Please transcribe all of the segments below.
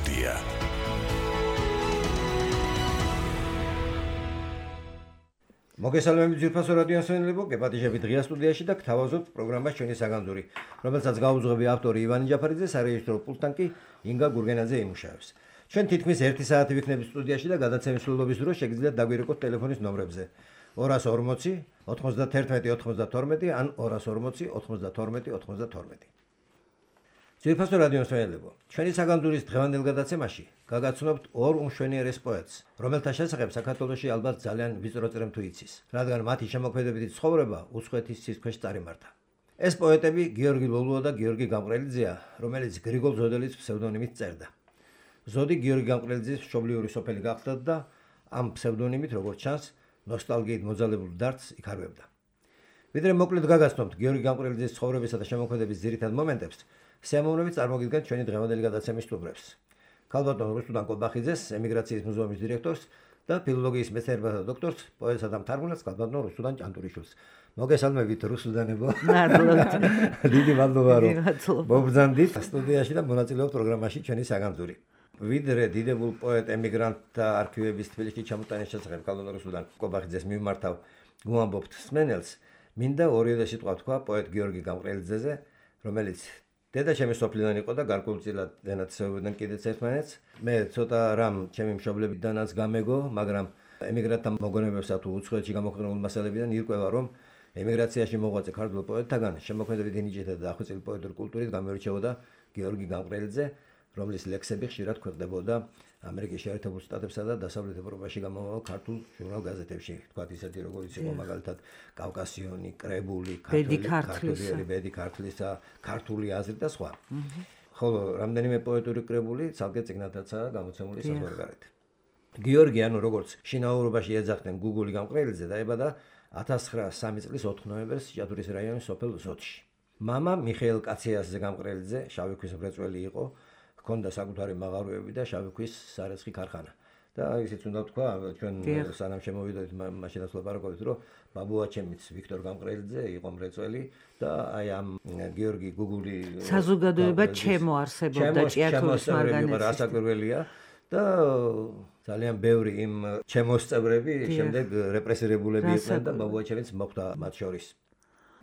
სტუდია. მოგესალმებით ძირფასო რადიო ასვენელებო, გეპატიჟებით ღია სტუდიაში და გთავაზობთ პროგრამას ჩვენი საგანძური, რომელსაც გაუძღვები ავტორი ივანი ჯაფარიძე, სარეჟისორო პულტთან კი ინგა გურგენაძე იმუშავებს. ჩვენ თითქმის 1 საათი ვიქნებით სტუდიაში და გადაცემის სრულობის დროს შეგიძლიათ დაგვირეკოთ ტელეფონის ნომრებზე 240 91 92 ან 240 92 92. ძირფასო რადიო ასვენელებო, ჩვენი საგანძურის დღევანდელ გადაცემაში გაგაცნობთ ორ უმშვენიერეს პოეტს, რომელთა შესახებ საქართველოში ალბათ ძალიან ვიწრო წრემ თუ იცის, რადგან მათი შემოქმედებითი ცხოვრება უცხოეთის ცის ქვეშ წარიმართა. ეს პოეტები გიორგი ლოლუა და გიორგი გამყრელიძეა, რომელიც გრიგოლ ზოდელის ფსევდონიმით წერდა. ზოდი გიორგი გამყრელიძის მშობლიური სოფელი გახლდათ და ამ ფსევდონიმით, როგორც ჩანს, ნოსტალგიით მოძალებულ დარდს იქარვებდა. ვიდრე მოკლედ გაგაცნობთ გიორგი გამყრელიძის ცხოვრებისა და შემოქმედების ძირითად მომენტებს, სიამოვნებით წარმოგიდგენთ ჩვენი დღევანდელი გადაცემის სტუმრებს. ქალბატონ რუსუდან კობახიძეს, ემიგრაციის მუზეუმის დირექტორს და ფილოლოგიის მეცნიერებათა დოქტორს, პოეტსა და მთარგმნელს ქალბატონ რუსუდან ჭანტურიშვილს. მოგესალმებით რუსუდანებო. მადლობა. დიდი მადლობა რომ მობრძანდით სტუდიაში და მონაწილეობთ პროგრამაში ჩვენი საგანძური. ვიდრე დიდებულ პოეტ ემიგრანტთა არქივების თბილისში ჩამოტანის შესახებ ქალბატონ რუსუდან კობახიძეს მიმართავ გვამბობთ მსმენელს, მინდა ორიოდე სიტყვა თქვა პოეტ გიორგი გამყრელიძეზე, რომელიც დედაჩემი სოფლიდან იყო და გარკვეულწილად ენაცვლებოდნენ კიდეც ერთმანეთს. მე ცოტა რამ ჩემი მშობლებიდანაც გამეგო, მაგრამ ემიგრანტთა მოგონებებსა თუ უცხოეთში გამოხდენილ მასალებიდან ირკვევა, რომ ემიგრაციაში მოღვაწე ქართველ პოეტთაგან შემოქმედებითი ნიჭითა და დახვეწილი პოეტური კულტურით გამოირჩეოდა გიორგი გამყრელიძე, რომლის ლექსები ხშირად ქვეყნდებოდა ამერიკის შეერთებულ შტატებსა და დასავლეთ ევროპაში გამომავალ ქართულ ჟურნალ-გაზეთებში, თქვათ ისეთი როგორიც იყო მაგალითად კავკასიონი, კრებული, ბედი ქართლისა, ქართული აზრი და სხვა. ხოლო რამდენიმე პოეტური კრებული ცალკე წიგნათაცაა გამოცემული საზღვარგარეთ. გიორგი, ანუ როგორც შინაურობაში ეძახდნენ გუგული გამყრელიძე, დაიბადა 1903 წლის 4 ნოემბერს ჭიათურის რაიონის სოფელ ზოდში. მამა მიხეილ კაციასზე გამყრელიძე შავი ქვის მრეწველი იყო. ჰქონდა საკუთარი მაღაროები და შავი ქვის სარეცხი ქარხანა. და ისიც უნდა თქვა, ჩვენ სანამ შემოვიდოდით მაშინაც ვლაპარაკობთ, რომ ბაბუაჩემიც ვიქტორ გამყრელიძე იყო მრეწველი და აი ამ გიორგი გუგული საზოგადოება ჩემო არსებობდა ჭიათურის მარგანეცში. რასაკვირველია და ძალიან ბევრი იმ ჩემოს წევრები შემდეგ რეპრესირებულები იყვნენ და ბაბუაჩემიც მოხვდა მათ შორის.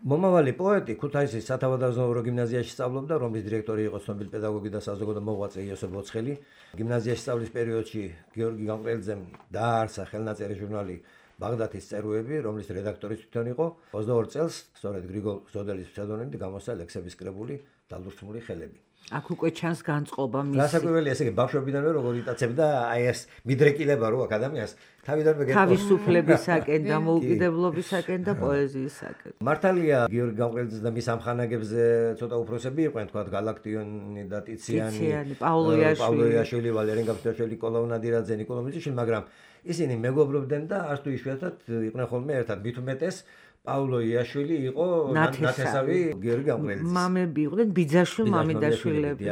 მომავალი პოეტი ქუთაისის სათავადაზნაურო გიმნაზიაში სწავლობდა, რომლის დირექტორი იყო ცნობილი პედაგოგი და საზოგადო მოღვაწე იოსებ ოცხელი. გიმნაზიაში სწავლის პერიოდში გიორგი გამყრელიძემ დააარსა ხელნაწერი ჟურნალი ბაღდათის წერუები, რომლის რედაქტორიც თვითონ იყო. 22 წელს სწორედ გრიგოლ ზოდელის ფსევდონიმით გამოსცა ლექსების კრებული „დალურსმული ხელები“. აქ უკვე ჩანს განწყობა მისი. რასაკვირველია, ესე იგი ბავშვობიდანვე როგორ იტაცებდა აი ეს მიდრეკილება რო აქ ადამიანს თავიდანვე თავისუფლებისაკენ, დამოუკიდებლობისაკენ და პოეზიისაკენ. მართალია გიორგი გამყრელიძე და მის ამხანაგებზე ცოტა უფროსები იყვნენ, თქვათ გალაქტიონი და ტიციანი, პავლოიაშვილი, ვალერიან გაბსტაშვილი, კოლაუ ნადირაძე, ნიკოლო მიწიშვილი, მაგრამ ისინი მეგობრობდნენ და არც თუ იშვიათად იყვნენ ხოლმე ერთად. მით უმეტეს პავლო იაშვილი იყო ნათესავი გიორგი გამყრელიძის. მამები იყვნენ ბიძაშვილი, მამიდაშვილები.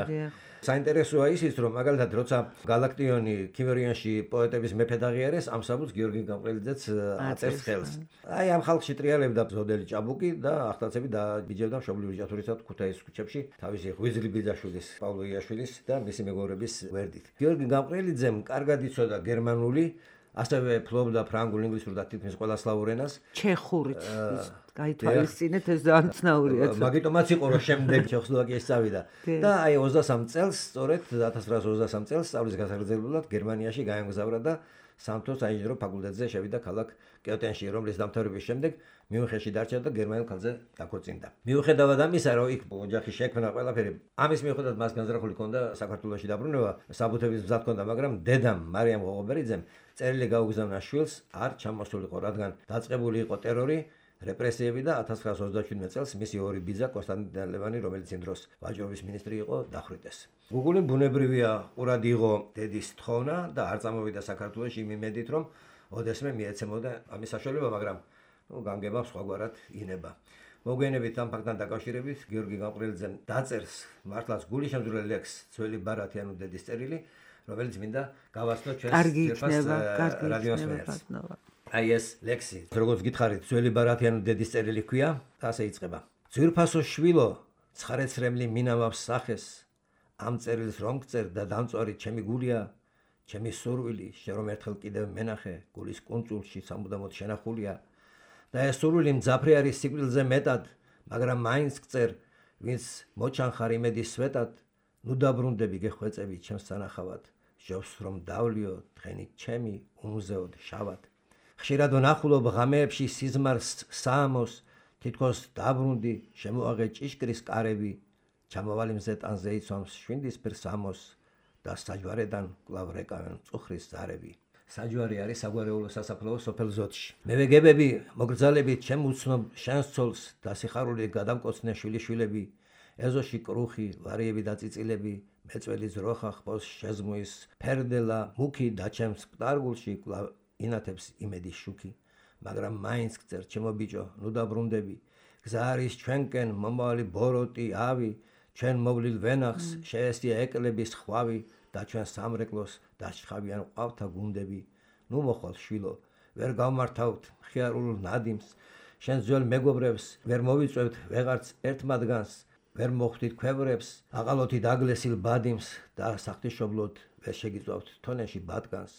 საინტერესოა ისიც, რომ მაგალითად როცა გალაქტიონი ქიმერიანში პოეტების მეფედ აღიარეს, ამ საბუთს გიორგი გამყრელიძეც აწერს ხელს. აი ამ ხალხში ტრიალებდა ზოდელი ჭაბუკი და ახტაცები დააბიჯებდა მშობლიური ჭიათურისა და ქუთაისის ქუჩებში თავისი ღვიძლი ბიძაშვილის, პავლო იაშვილის და მისი მეგობრების გვერდით. გიორგი გამყრელიძემ კარგად იცოდა გერმანული, ასევე ფლობდა ფრანგულ, ინგლისურ და თითქმის ყველა სლავურ ენას. ჩეხურით გაითვალისწინეთ, ეს დაანცნაურია. მაგიტომაც იყო რომ შემდეგ ჩეხოსლოვაკიაში წავიდა. და აი 23 წელს, სწორედ 1923 წელს სწავლის გასაგრძელებლად გერმანიაში გაემგზავრა და სამთო საინჟინრო ფაკულტეტზე შევიდა ქალაქ კიოტენში, რომლის დამთავრების შემდეგ მიუნხენში დარჩა და გერმანულ ქალზე დაქორწინდა. მიუხედავად ამისა, რომ იქ ოჯახი შექმნა ყველაფერი, ამის მიუხედავად მას განზრახული ჰქონდა საქართველოში დაბრუნება, საბუთების მზად ჰქონდა, მაგრამ დედამ მარიამ ღოღობერიძემ წერილი გაუგზავნა შვილს, არ ჩამოსულიყო, რადგან დაწყებული იყო ტერორი, რეპრესიები და 1927 წელს მისი ორი ბიძა კონსტანტინე ლევანი, რომელიც იმ დროს ვაჭრობის მინისტრი იყო, დახვრიტეს. გუგული ბუნებრივია ყურად იყო დედის თხოვნა და არ წამოვიდა საქართველოში იმ იმედით, რომ ოდესმე მიეცემოდა ამის საშუალება, მაგრამ განგება სხვაგვარად ინება. მოგვიანებით ამ ფაქტთან დაკავშირებით გიორგი გამყრელიძემ დაწერს მართლაც გულიშემძვრელ ლექსს „ძველი ბარათი ანუ დედის წერილი“, რომელიც მინდა გავაცნო ჩვენს რადიოს მერს. აი ეს ლექსი, როგორც გითხარით, ძველი ბარათი ანუ დედის წერილი ქვია, ასე იწყება. ძვირფასო შვილო, ცხარეცრემლი მინავავს სახეს, ამ წერილს რომ გწერ და დამწვარი ჩემი გულია, ჩემი სურვილი, შენ რომ ერთხელ კიდევ მენახე, გულის კუნძულში სამუდამოდ შენახულია და ეს სურვილი მძაფრი არის სიკვდილზე მეტად, მაგრამ მაინც გწერ, ვინც მოჩანხარ იმედის სვეტად, ნუ დაბრუნდები გეხვეწები ჩემს სანახავად, ჟობს რომ დავლიო დღენით ჩემი უმზეოდ შავად. ხშირად ვნახულობ ღამეებში სიზმარს საამოს, თითქოს დაბრუნდი, შემოაღე ჭიშკრის კარები, ჩამოვალი მზეტანზე იცვამს შვინდისფერ სამოს და საჯვარედან კვლავ რეკავენ მწუხრის ზარები. საჯვარი არის საგვარეულო სასაფლაო სოფელ ზოთში. მე ვეგებები, მოგრძალებით ჩემ უცნობ შენს ცოლს და სიხარული გადამკოცნე შვილიშვილები, ეზოში კრუხი, ვარიები და წიწილები, მეწველი ძროხა ხბოს შეზმუის ფერდელა, მუქი დაჩემს მკდარგულში კვლავ ინათებს იმედის შუქი, მაგრამ მაინც გწერ ჩემო ბიჭო, ნუ დაბრუნდები, გზა არის ჩვენკენ მომავალი ბოროტი, ავი, ჩვენ მოვლილ ვენახს შეესწია ეკლების ხვავი და ჩვენ სამრეკლოს დასჩხავიან ყავთა გუნდები. ნუ მოხვალ შვილო, ვერ გავმართავთ მხიარულ ნადიმს, შენ ძველ მეგობრებს ვერ მოვიწვევთ ვეღარც ერთ მათგანს, ვერ მოხვდით ქვევრებს, აყალოთი დაგლესილ ბადიმს და სახთიშობლოდ ვერ შეგიწვავთ თონეში ბადგანს.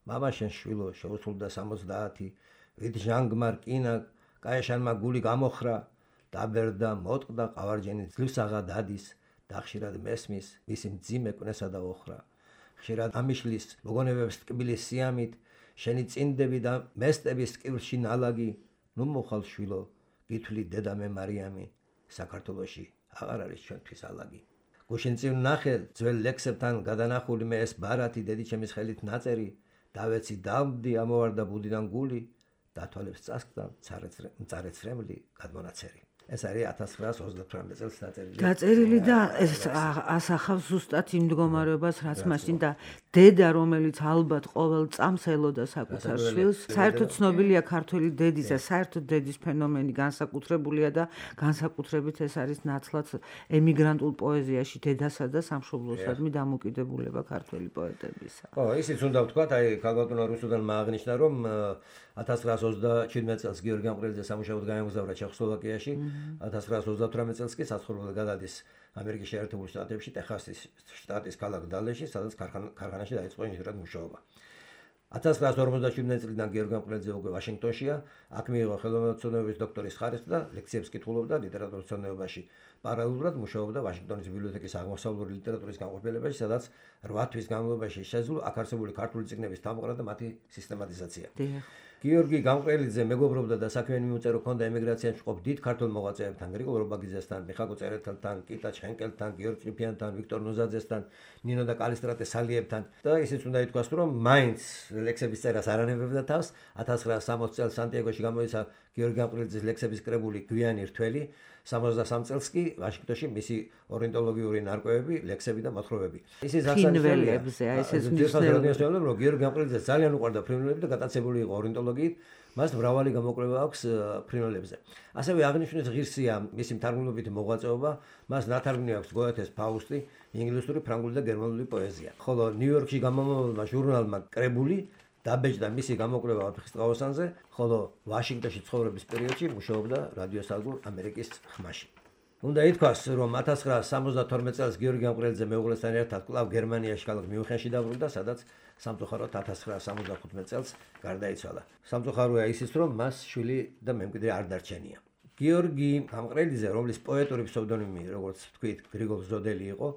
მამა შენ შვილო შეუსრულდა 70, ვით ჟანგმა რკინა კაეშანმა გული გამოხრა, დაბერდა მოტყდა ყავარჯენი ძლივსაღა დადის და ხშირად მესმის მისი მძიმე კვნესა და ოხრა. ხშირად ამიშლის მოგონებებს ტკბილის სიამით, შენი წინდები და მესტების ტკივრში ნალაგი, ნუ მოხალ შვილო, გითვლი დედა მე მარიამი, საქართველოში აღარ არის ჩვენთვის ალაგი. გუშინ წინ ნახე ძველ ლექსებთან გადანახული მე ეს ბარათი დედი ჩემის ხელით ნაწერი, დავეცი დავდი ამოვარდა ბუდიდან გული, დათვალებს წასკდა მწარეცრემლი გადმონაცერი. ეს არის 1928 წელს დაწერილი და ეს ასახავს ზუსტად იმ მდგომარეობას, რაც მაშინ და დედა, რომელიც ალბათ ყოველ წამს ელოდა საკუთარ შვილს. საერთოდ ცნობილია ქართველი დედის და საერთოდ დედის ფენომენი განსაკუთრებულია და განსაკუთრებით ეს არის ნაცვლად ემიგრანტულ პოეზიაში დედასა და სამშობლოსადმი დამოკიდებულება ქართველი პოეტებისა. ისიც უნდა ვთქვათ, ქალბატონმა რუსუდანმა აღნიშნა, რომ 1927 წელს გიორგი ამყრელიძე სამუშაოდ გაემგზავრა ჩეხოსლოვაკიაში, 1938 წელს კი საცხოვრებლად გადადის ამერიკის შეერთებულ შტატებში, ტეხასის შტატის ქალაქ დალეში, სადაც ქარხანაში დაიწყო ინჟინერად მუშაობა. 1957 წლიდან გიორგი ამყრელიძე უკვე ვაშინგტონშია, აქ მიიღო ხელოვნებების დოქტორის ხარისხი და ლექციებს კითხულობდა ლიტერატურის მცოდნეობაში. პარალელურად მუშაობდა ვაშინგტონის ბიბლიოთეკის აღმოსავლური ლიტერატურის განყოფილებაში, სადაც 8 თვის განმავლობაში შესძლო აქ არსებული ქართული წიგნების თამყრა და მათი სისტემატიზაცია. გიორგი გამყრელიძე მეგობრობდა და საქმიანი მიუწერო ჰქონდა ემიგრაციაში მყოფ დიდ ქართულ მოღვაწეებთან, გრიგოლ რობაგიძესთან, მიხაკო წერეთელთან, კიტა ჩხენკელთან, გიორგი ჭიფიანთან, ვიქტორ ნუზაძესთან, ნინო და კალისტრატე სალიებთან და ისიც უნდა ითქვას, რომ მაინც ლექსების წერას არ ანებებდა თავს. 1960 წელს სანტიაგოში გამოიცა გიორგი გამყრელიძის ლექსების კრებული გვიანი რთველი, 73 წელს კი ვაშინგტონში მისი ორნიტოლოგიური ნარკვევები, ლექსები და მოთხრობები. ისიც აღსანიშნავია, ეს მნიშვნელოვანია, რომ გიორგი გამყრელიძე ძალიან უყვარდა ფრინველები და გატაცებული იყო ორნიტოლოგიით, მას მრავალი გამოკვლევა აქვს ფრინველებზე. ასევე აღნიშნეს ღირსია მისი მთარგმნელობითი მოღვაწეობა, მას ნათარგმნი აქვს გოეთეს ფაუსტი, ინგლისური, ფრანგული და გერმანული პოეზია. ხოლო ნიუ-იორკში გამომავალმა ჟურნალმა კრებული დაბეჭდა მისი გამოკვლევა ოთხის ტყავოსანზე, ხოლო ვაშინგტონში ცხოვრების პერიოდში მუშაობდა რადიოსადგურ ამერიკის ხმაში. უნდა ითქვას, რომ 1972 წელს გიორგი გამყრელიძე მეუღლესთან ერთად კვლავ გერმანიაში ქალაქ მიუნხენში დაბრუნდა, სადაც სამწუხაროდ 1975 წელს გარდაიცვალა. სამწუხაროა ისიც, რომ მას შვილი და მემკვიდრე არ დარჩენია. გიორგი გამყრელიძე, რომლის პოეტური ფსევდონიმი, როგორც ვთქვით, გრიგოლ ზოდელი იყო,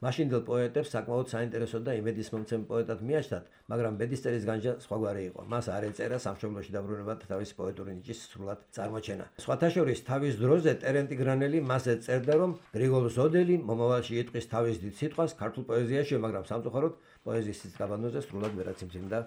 მაშინდელ პოეტებს საკმაოდ საინტერესო და იმედისმომცემ პოეტად მიაჩნდათ, მაგრამ ბედისწერის განჯა სხვაგვარი იყო. მას არ ეწერა სამშობლოში დაბრუნებად თავისი პოეტური ნიჭის სრულად წარმოჩენა. სხვათა შორის თავის დროზე ტერენტი გრანელი მასზე წერდა, რომ გრიგოლ ზოდელი მომავალში იტყვის თავის დიდ სიტყვას ქართულ პოეზიაში, მაგრამ სამწუხაროდ პოეზიის სიძგაბანოზე სრულად ვერაც იმძიმდა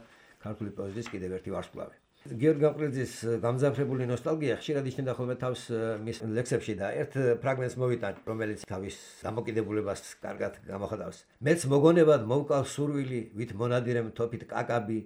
ქართული პოეზიის კიდევ ერთი ვარსკვლავი. გიორგი გამყრელიძის გამძაფრებული ნოსტალგია ხშირად იჩნდა ხოლმე თავს მის ლექსებში და ერთ ფრაგმენტს მოვიტან, რომელიც თავის დამოკიდებულებას კარგად გამოხატავს. მეც მოგონებად მოვკალ სურვილი, ვით მონადირემ თოფით კაკაბი,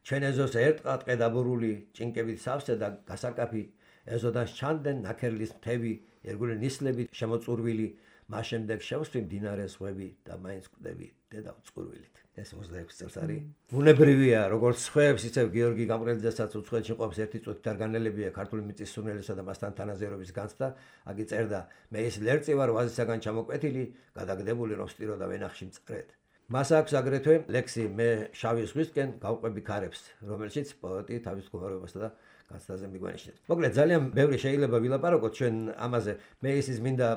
ჩვენ ეზოს ერთყატყე დაბურული, ჭინკებით სავსე და გასაკაფი, ეზოდან ჩანდნენ ნაქერლის მთები, ერგული ნისლებით შემოწურვილი, მას შემდეგ შევსვი მდინარე ზღვები და მაინც კვდები დედა უწყურვილით. ეს 26 წელს არის. ბუნებრივია, როგორც სხვებს, ისევ გიორგი გამყრელიძესაც უცხოეთში ყოფს ერთი წუთით არ განელებია ქართული მიწის სურნელისა და მასთან თანაზერობის განცდა. აგი წერდა: მე ის ლერწი ვარ ვაზისაგან ჩამოკვეთილი, გადაგდებული რომ სტიროდა ვენახში მწყრეთ. მას აქვს აგრეთვე ლექსი მე შავი ზღვისკენ გავყვები ქარებს, რომელშიც პოეტი თავის მდგომარეობასა და განცდაზე მიგვანიშნებს. მოკლედ ძალიან ბევრი შეიძლება ვილაპარაკოთ ჩვენ ამაზე. მე ისიც მინდა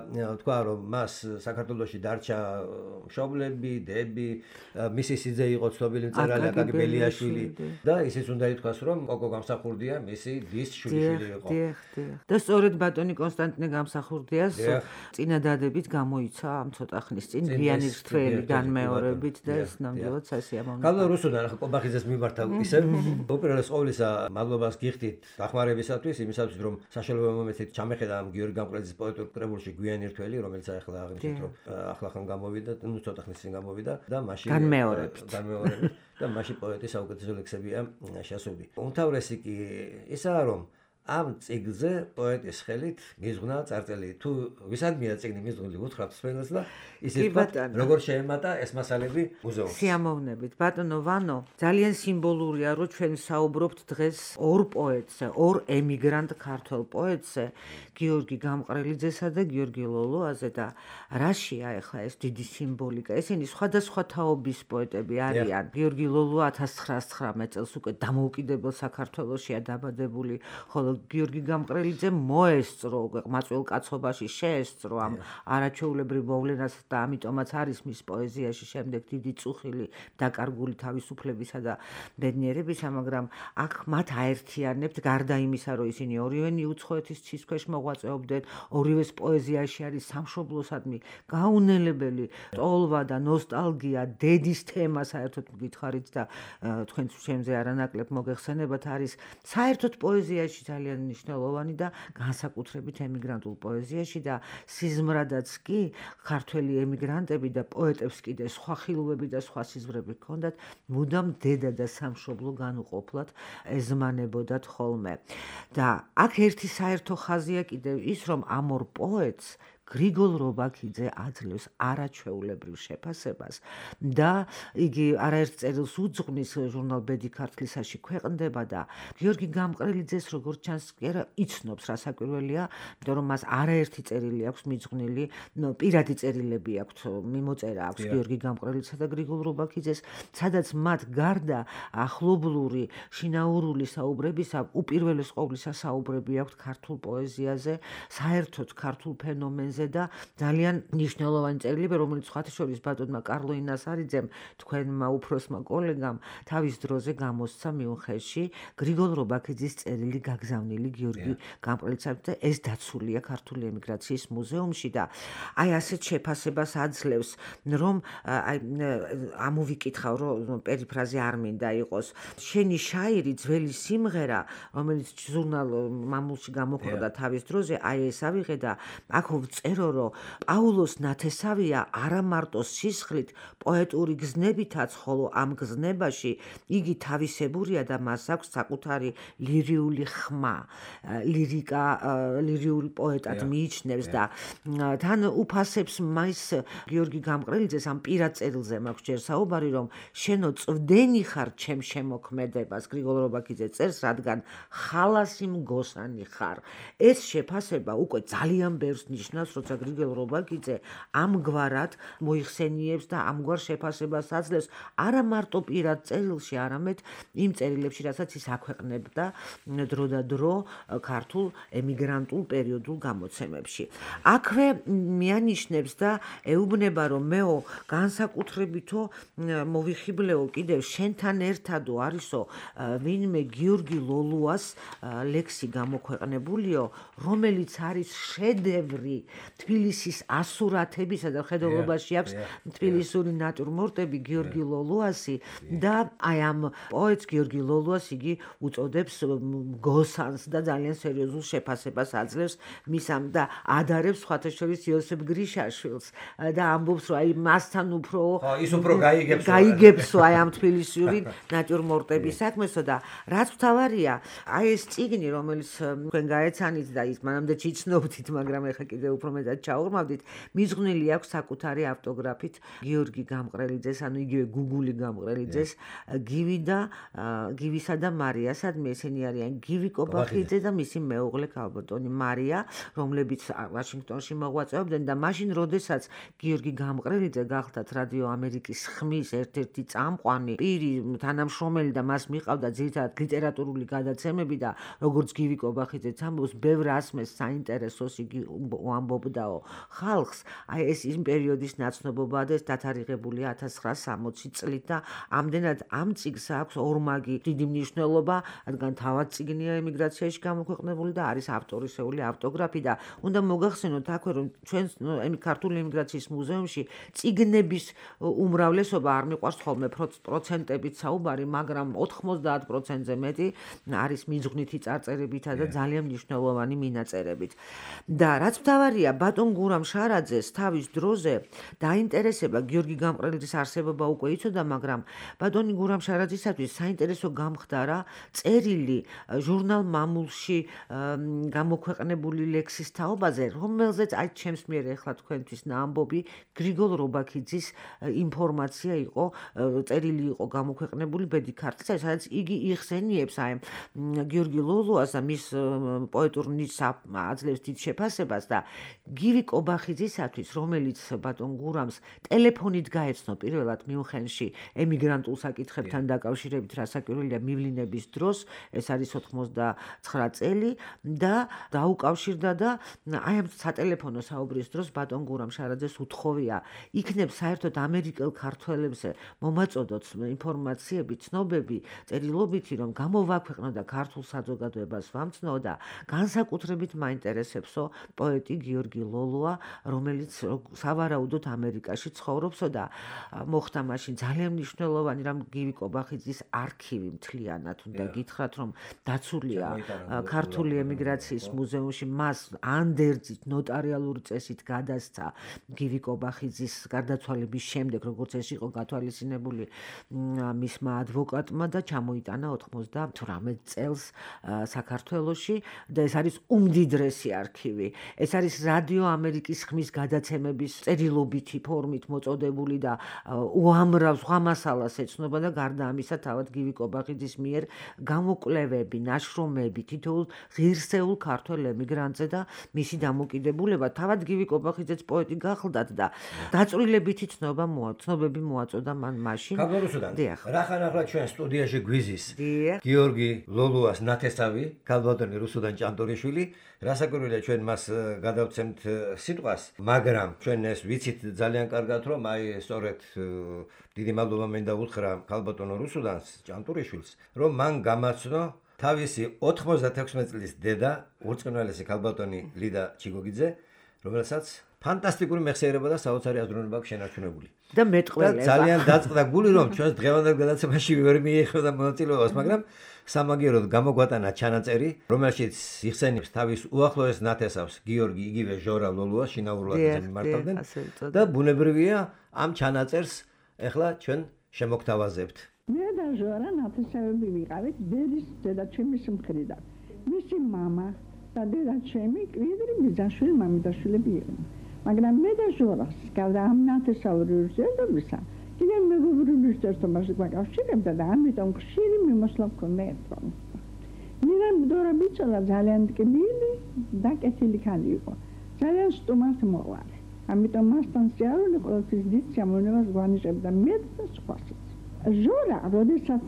თქვა რომ მას საქართველოში დარჩა მშობლები, დები, მისი სიძე იყო ცნობილი მწერალი აკაკი ბელიაშვილი და ისიც უნდა ითქვას რომ კოკო გამსახურდია მისი დის შვილიშვილი იყო. და სწორედ ბატონი კონსტანტინე გამსახურდიას წინადადებით გამოიცა ამ ცოტა ხნის წინ გვიანი რთველი განმეორებით და ეს ნამდვილად სასიამოვნოა. კალო რუსუდან ახლა კობახიძეს მიმართა ისევ უპირველეს ყოვლისა მადლობას გიხდით დახმარებისათვის, იმისათვის რომ საშუალება მომეცით ჩამეხედა ამ გიორგი გამყრელიძის პოეტურ კრებულში გვიანი რთველი, რომელიც ახლა აღნიშნეთ რომ ახლახან გამოვიდა, ნუ ცოტა ხნის წინ გამოვიდა და მაშინ განმეორებით და მაშინ პოეტის საუკეთესო ლექსებია შესული. უმთავრესი კი ისაა რომ ამ წიგნზე პოეტის ხელით მიზღნა წარწერილი. თუ ვისადმია წიგნი მიზღული უთხრათ სპენელს და ისე თქვა როგორ შეემატა ეს მასალები მუზეუმს. სიამოვნებით ბატონო ვანო, ძალიან სიმბოლურია რომ ჩვენ საუბრობთ დღეს ორ პოეტზე, ორ ემიგრანტ ქართველ პოეტზე, გიორგი გამყრელიძესა და გიორგი ლოლოაზე და რაშია ახლა ეს დიდი სიმბოლიკა. ესენი სხვადასხვა თაობის პოეტები არიან. გიორგი ლოლო 1919 წელს უკვე დამოუკიდებელ საქართველოშია დაბადებული, ხოლო გიორგი გამყრელიძე მოესწრო მაწველ კაცობაში შეესწრო ამ არაჩვეულებრივ მოვლენას და ამიტომაც არის მის პოეზიაში შემდეგ დიდი წუხილი დაკარგული თავისუფლებისა და ბედნიერებისა, მაგრამ აქ მათ აერთიანებთ გარდა იმისა, რომ ისინი ორივენი უცხოეთის ცის ქვეშ მოღვაწეობდნენ, ორივეს პოეზიაში არის სამშობლოსადმი გაუნელებელი ტოლვა და ნოსტალგია, დედის თემა საერთოდ გითხარით და თქვენც ჩემზე არანაკლებ მოგეხსენებათ არის საერთოდ პოეზიაში ძალიან მნიშვნელოვანი და განსაკუთრებით ემიგრანტულ პოეზიაში და სიზმრადაც კი ქართველი ემიგრანტები და პოეტებს კიდე სხვა ხილვები და სხვა სიზმრები ჰქონდათ, მუდამ დედა და სამშობლო განუყოფლად ეზმანებოდათ ხოლმე. და აქ ერთი საერთო ხაზია კიდევ ის, რომ ამ ორ პოეტს გრიგოლ რობაქიძე აძლევს არაჩვეულებრივ შეფასებას და იგი არაერთ წერილს უძღვნის ჟურნალ ბედი ქართლისაში ქვეყნდება და გიორგი გამყრელიძეს როგორც ჩანს კი იცნობს რა საკვირველია, იმიტომ რომ მას არაერთი წერილი აქვს მიძღვნილი, პირადი წერილები აქვს, მიმოწერა აქვს გიორგი გამყრელიძესა და გრიგოლ რობაქიძეს, სადაც მათ გარდა ახლობლური შინაურული საუბრებისა უპირველეს ყოვლისა საუბრები აქვს ქართულ პოეზიაზე, საერთოდ ქართულ ფენომენზე და ძალიან მნიშვნელოვანი წერილები, რომელიც სხვათა შორის ბატონმა კარლო ინასარიძემ, თქვენმა უფროსმა კოლეგამ თავის დროზე გამოსცა მიუნხენში გრიგოლ რობაქიძის წერილი გაგზავნილი გიორგი გამყრელიძესთან და ეს დაცულია ქართული ემიგრაციის მუზეუმში და აი ასეთ შეფასებას აძლევს, რომ ამოვიკითხავ, რომ პერიფრაზე არ მინდა იყოს. შენი შაირი ძველი სიმღერა, რომელიც ჟურნალ მამულში გამოხდა თავის დროზე, აი ეს ავიღე და აქ წერო, რომ პაულოს ნათესავია არა მარტო სისხლით, პოეტური გზნებითაც, ხოლო ამ გზნებაში იგი თავისებურია და მას აქვს საკუთარი ლირიული ხმა, ლირიკა, ლირიული პოეტად მიიჩნევს და თან უფასებს მას გიორგი გამყრელიძეს ამ პირად წერილზე მაქვს ჯერ საუბარი, რომ შენო წვდენი ხარ ჩემ შემოქმედებას, გრიგოლ რობაქიძე წერს, რადგან ხალასი მგოსანი ხარ. ეს შეფასება უკვე ძალიან ბევრს ნიშნავს, როცა გრიგოლ რობაქიძე ამგვარად მოიხსენიებს და ამგვარ შეფასებას აძლევს არა მარტო პირად წერილში, არამედ იმ წერილებში, რასაც ის აქვეყნებდა დრო და დრო ქართულ ემიგრანტულ პერიოდულ გამოცემებში. აქვე მიანიშნებს და ეუბნება, რომ მეო განსაკუთრებითო მოვიხიბლეო კიდევ შენთან ერთადო არისო ვინმე გიორგი ლოლუას ლექსი გამოქვეყნებულიო, რომელიც არის შედევრი თბილისის ასურათებისა და ხედულობაში აქვს თბილისური ნატურმორტები გიორგი ლოლუასი და აი ამ პოეტს გიორგი ლოლუას იგი უწოდებს გოსანს და ძალიან სერიოზულ შეფასებას აძლევს მისამ და ადარებს სხვათა შორის იოსებ გრიშაშვილს და ამბობს, რომ აი მასთან უფრო ის უფრო გაიგებსო აი ამ თბილისური ნატურმორტების საქმესო და რაც მთავარია, აი ეს წიგნი, რომელიც თქვენ გაეცანით და ის მანამდე იცნობდით, მაგრამ ეხლა კიდევ უფრო უმეტად ჩაურმავდით, მიზღვნილი აქვს საკუთარი ავტოგრაფით გიორგი გამყრელიძეს, ანუ იგივე გუგული გამყრელიძეს, გივისა და მარია, სადმე ესენი არიან გივი კობახიძე და მისი მეუღლე ქალბატონი მარია, რომლებიც ვაშინგტონში მოღვაწეობდნენ და მაშინ, როდესაც გიორგი გამყრელიძე გახლდათ რადიო ამერიკის ხმის ერთ-ერთი წამყვანი პირი, თანამშრომელი და მას მიყავდა ძირითადად ლიტერატურული გადაცემები და როგორც გივი კობახიძეც ამბობს, ბევრ ასმეს საინტერესოს იგი უამბობდაო ხალხს. აი ეს იმ პერიოდის ნაცნობობაა და ეს დათარიღებულია 1960 წლით და ამდენად ამ წიგნს აქვს ორმაგი დიდი მნიშვნელობა, რადგან თავად წიგნია ემიგრაციაში გამოქვეყნებული და არის ავტორისეული ავტოგრაფი და უნდა მოგახსენოთ აქვე, რომ ჩვენს ქართული ემიგრაციის მუზეუმში წიგნების უმრავლესობა არ მიყვარს ხოლმე პროცენტებით საუბარი, მაგრამ 90%-ზე მეტი არის მიზღვნითი წარწერებითა და ძალიან მნიშვნელოვანი მინაწერებით. და რაც მთავარია, ბატონ გურამ შარაძეს თავის დროზე დაინტერესება გიორგი გამყრელიძის არსებობა უკვე იცოდა, მაგრამ ბატონი გურამ შარაძისათვის საინტერესო გამხდარა წერილი ჟურნალ მამულში გამოქვეყნებული ლექსის თაობაზე, რომელზეც აი ჩემს მიერ ეხლა თქვენთვის ნაამბობი გრიგოლ რობაქიძის ინფორმაცია იყო, წერილი იყო გამოქვეყნებული ბედი ქართლისა, სადაც იგი იხსენიებს აი გიორგი ლოლუას და მის პოეტურ ნიჭს აძლევს დიდ შეფასებას და გივი კობახიძისათვის, რომელიც ბატონ გურამს ტელეფონით გაეცნო პირველად მიუნხენში ემიგრანტულ საკითხებთან დაკავშირებით, რასაკვირველია მივლინების დროს, ეს არის 99 წელი და დაუკავშირდა და აი ამ სატელეფონო საუბრის დროს ბატონ გურამ შარაძეს უთხოვია, იქნებ საერთოდ ამერიკელ ქართველებზე მომაწოდოთ ინფორმაციები, ცნობები, წერილობითი, რომ გამოვაქვეყნო და ქართულ საზოგადოებას ვამცნო და განსაკუთრებით მაინტერესებსო პოეტი გიორგი ლოლუა, რომელიც სავარაუდოდ ამერიკაში ცხოვრობსო და მოხდა მაშინ ძალიან მნიშვნელოვანი რამ გივი კობახიძის არქივი მთლიანად უნდა გითხრათ, რომ დაცულია ქართული ემიგრაციის მუზეუმში, მას ანდერძით ნოტარიალური წესით გადასცა გივი კობახიძის გარდაცვალების შემდეგ, როგორც ეს იყო გათვალისწინებული მისმა ადვოკატმა და ჩამოიტანა 98 წელს საქართველოში და ეს არის უმდიდრესი არქივი. ეს არის რადიო ამერიკის ხმის გადაცემების წერილობითი ფორმით მოწოდებული და უამრავ სხვა მასალას ეცნობა და გარდა ამისა თავად გივი კობახიძის მიერ გამოკვლევები, ნაშრომები თითოეულ ღირსეულ ქართველ ემიგრანტზე და მისი დამოკიდებულება თავად გივი კობახიძეც პოეტი გახლდათ და დაწვრილებითი ცნობები მოაწოდა მან მაშინ. რა ხანახლა ჩვენ სტუდიაში გვიზის გიორგი ლოლუას ნათესავი, ქალბატონი რუსუდან ჭანტურიშვილი, რასაკვირველია ჩვენ მას გადავცემთ სიტყვას, მაგრამ ჩვენ ეს ვიცით ძალიან კარგად, რომ აი სწორედ დიდი მადლობა მინდა უთხრა ქალბატონო რუსუდანს ჭანტურიშვილს, რომ მან გამაცნო თავისი 96 წლის დედა, ურწმუნოელესი ქალბატონი ლიდა ჩიგოგიძე, რომელსაც ფანტასტიკური მეხსიერება და საოცარი აზროვნება აქვს შენარჩუნებული. და მეტყველება. ძალიან დაწყდა გული, რომ ჩვენს დღევანდელ გადაცემაში ვერ მიიღებდა მონაწილეობას, მაგრამ სამაგიეროდ გამოგვატანა ჩანაწერი, რომელშიც იხსენებს თავის უახლოეს ნათესავს გიორგი იგივე ჟორა ლოლუას შინაურულად მიმართავდნენ და ბუნებრივია ამ ჩანაწერს ეხლა ჩვენ შემოგთავაზებთ. მე და ჟორა ნათესავები ვიყავით დედის დედაჩემის მხრიდან. მისი მამა და დედაჩემი კვიდრი ბიძაშვილი მამიდაშვილები იყვნენ. მაგრამ მე და ჟორას გავდა ამ ნათესავური ურთიერთობისა კიდევ მეგობრული ურთიერთობაში გვაკავშირებდა და ამიტომ ხშირი მიმოსვლა მქონდა ერთმანეთს. მირამდორა ბიჭალა ძალიან ტკბილი და კეთილი ქალი იყო. ძალიან სტუმართ მოყვარე. ამიტომ მასთან სიარული ყოველთვის დიდ სიამოვნებას გვანიშებდა მე და სხვასაც. ჟორა, როდესაც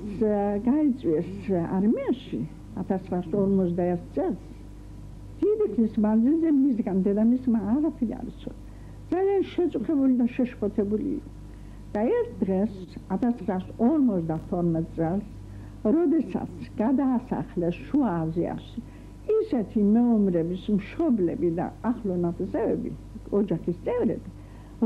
გაიწვიეს არმიაში 1941 წელს, დიდი ხნის მანძილზე მისგან დედამისმა არაფერი არ იცოდა. ძალიან შეწუხებული და შეშფოთებული იყო. და ერთ დღეს 1952 წელს, როდესაც გადაასახლეს შუა აზიაში ისეთი მეომრების მშობლები და ახლო ნათესავები, ოჯახის წევრები,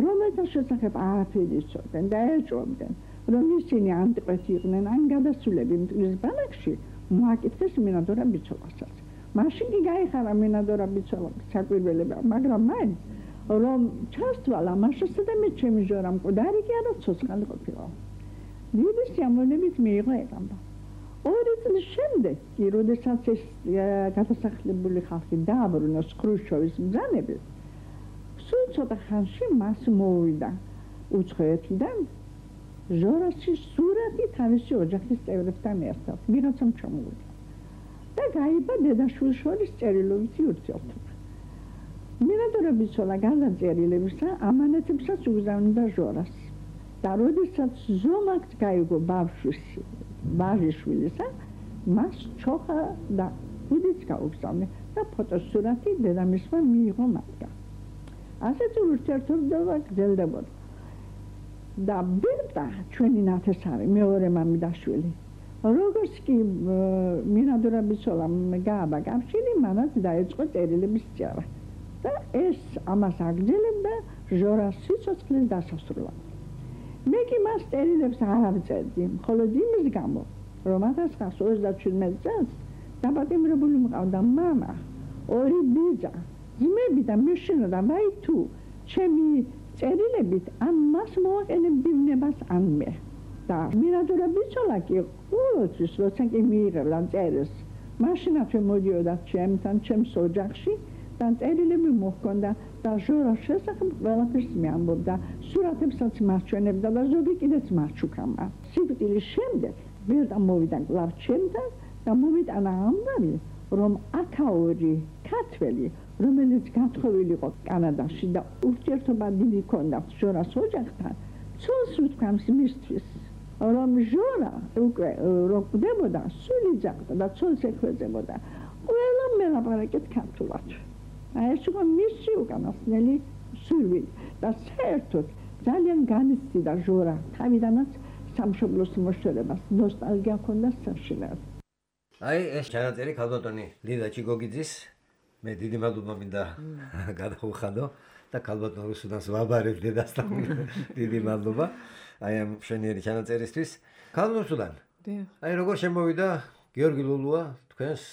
რომელთა შესახებ არაფერი იცოდნენ და ეჭვობდნენ, რომ ისინი ანტიყვეთი იყვნენ ან გადასულები მტკვრის ბანაკში, მოაკითხეს მინადორა ბიძოლასაც. მაშინ კი გაიხარა მინადორა ბიძოლას საკვირველება, მაგრამ მაინც რომ ჩასთვალა მაშასა და მე ჩემი ჟორა მკვდარი კი არა ცოცხალი ყოფილა. დიდი სიამოვნებით მიიღო ეყამბა. 2 წლის შემდეგ კი, როდესაც ეს გადასახლებული ხალხი დააბრუნეს ხრუშჩოვის ბრძანებით, სულ ცოტა ხანში მას მოვიდა უცხოეთიდან ჟორასის სურათი თავისი ოჯახის წევრებთან ერთად ვიღაცამ ჩამოვიდა და გაიბა დედაშვილს შორის წერილობითი ურთიერთობა. მინადორების ცოლა გარდა წერილებისა ამანათებსაც უგზავნიდა ჟორას და როდესაც ზომაკს გაიგო ბავშვიშვილისა მას ჩოხა და უდიც გაუგზავნე და ფოტოსურათი დედამისმა მიიღო მათგან. ასეთი ურთიერთობა გრძელდებოდა. და ბერტა ჩვენი ნათესავი მეორე მამიდაშვილი როგორც კი მინადორების ცოლამ გააბა კავშირი მანაც დაიწყო წერილების წერა და ეს ამას აგრძელებდა ჟორას სიცოცხლის დასასრულად. მე კი მას წერილებს არ ავწერდი მხოლოდ იმის გამო რომ 1927 წელს დაპატიმრებული მყავდა მამა ორი ბიძა ძმები და მეშინო და ვაი თუ ჩემი წერილებით ამ მას მოვაყენებდნებას ან მე და მინადორების ცოლა კი ყოველთვის როცა კი მიიღებდა წერილს მაშინათვე მოდიოდა ჩემთან ჩემს ოჯახში და წერილები მოჰქონდა და ჟორას შესახებ ყველაფერს მეამბობდა სურათებსაც მარჩვენებდა და ზოგი კიდეც მარჩუქამა სიკვდილის შემდეგ ბერტა მოვიდა კვლავ ჩემთან და მომიტანა ამბავი რომ აქაური ქართველი რომელიც გათხოვილი იყო კანადაში და ურთიერთობა დიდი ჰქონდა ჟორას ოჯახთან ცოლს უთქვამს მისთვის რომ ჟორა უკვე როკვდებოდა სული ძაღდა და ცოლს ეხვეწებოდა ყველა მელაპარაკეთ ქართულად ეს იყო მისი უკანასკნელი სურვილი და საერთოდ ძალიან განიცდიდა ჟორა თავიდანაც სამშობლოს მოშორებას ნოსტალგია ჰქონდა საშინაოდ. აი ეს ჩანაწერი ქალბატონი ლიდა ჩიგოგიძის მე დიდი მადლობა მინდა გადავხადო და ქალბატონ რუსუდანს ვაბარებ დედასთან დიდი მადლობა აი ამ შენიერი ჩანაწერისთვის ქალბატონ რუსუდან აი როგორ შემოვიდა გიორგი ლულუა თქვენს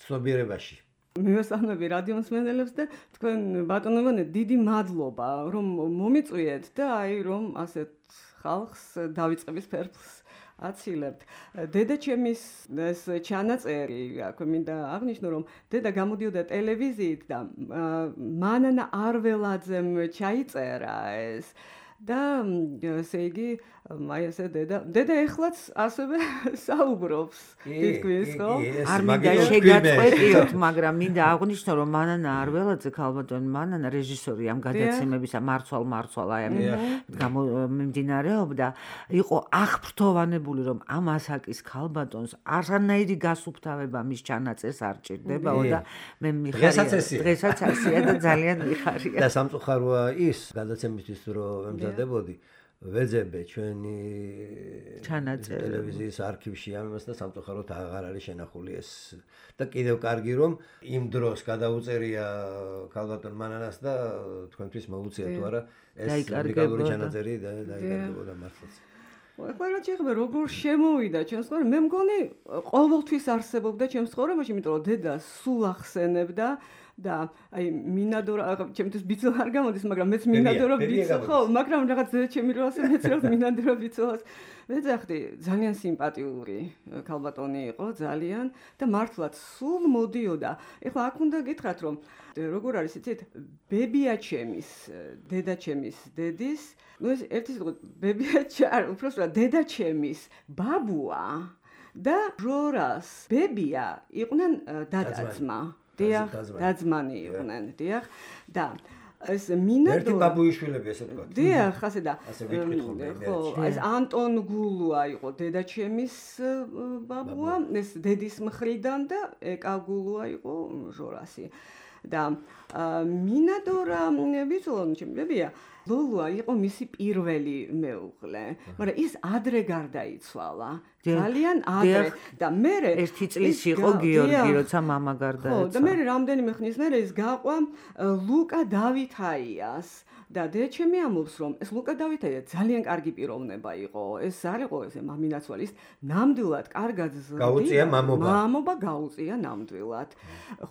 ცნობიერებაში მივესალმები რადიო მსმენელებს და თქვენ ბატონო დიდი მადლობა რომ მომიწვიეთ და აი რომ ასეთ ხალხს დავიწყების ფერფლს აცილებთ. დედაჩემის ეს ჩანაწერი, აქვე მინდა აღნიშნო, რომ დედა გამოდიოდა ტელევიზიით და მანანა არველაძემ ჩაიწერა ეს და ესე იგი აი ესე დედა ეხლაც ასევე საუბრობს თითქმის ხო? არ მინდა შეგაწყვეტიოთ, მაგრამ მინდა აღვნიშნო, რომ მანანა არველაძე ქალბატონი მანანა რეჟისორი ამ გადაცემებისა მარცვალ აი ამ მიმდინარეობდა, იყო აღფრთოვანებული, რომ ამ ასაკის ქალბატონს არანაირი გასუფთავება მის ჩანაწერს არ ჭირდებაო და მე მიხარია დღესაც ასია და ძალიან მიხარია. და სამწუხაროა ის გადაცემისთვის რომ ემზადებოდი ვეძებე ჩვენი ტელევიზიის არქივში ამას და სამწუხაროდ აღარ არის შენახული ეს და კიდევ კარგი რომ იმ დროს გადაუწერია ქალბატონ მანანას და თქვენთვის მოუწია თუ არა ეს უნიკალური ჩანაწერი დაიკარგებოდა მართლაც. ეხლა რა შეიძლება როგორ შემოვიდა ჩემს ცხოვრებაში მე მგონი ყოველთვის არსებობდა ჩემს ცხოვრებაში იმიტომ რომ დედა სულ ახსენებდა და აი მინადორა ჩემთვის ბიცოლა არ გამოდის მაგრამ მეც მინადორა ბიცოლა ხო მაგრამ რაღაც ჩემი რო ასე მეც რაღაც მინადორა ბიცოლას ვეძახდი ძალიან სიმპათიური ქალბატონი იყო ძალიან და მართლაც სულ მოდიოდა ეხლა აქ უნდა გითხრათ რომ როგორ არის იცით ბებია ჩემის დედა ჩემის დედის ну ეს ერთი სიტყვა ბებია უბრალოდ დედა ჩემის ბაბუა და ჟორას ბებია იყვნენ დადაძმა დიახ დაძმანი იყვნენ დიახ და ეს მინადორა ერთი ბაბუიშვილები ესე თქვა დიახ ასე და ხო ეს ანტონ გულუა იყო დედაჩემის ბაბუა ეს დედის მხრიდან და ეკა გულუა იყო ჟორასი და მინადორა ვიცოდო ჩემებია ლულუა იყო მისი პირველი მეუღლე მაგრამ ის ადრე გარდაიცვალა ძალიან ადრე და მე ერთი წლის იყო გიორგი როცა მამა გარდაეცვალა და მე რამდენიმე ხნის მერე ის გაყვა ლუკა დავითაიას და დედაჩემი ამბობს რომ ეს ლუკა დავითაია ძალიან კარგი პიროვნება იყო ეს არ იყო ესე მამინაცვალის ნამდვილად კარგად გაუწია მამობა გაუწია ნამდვილად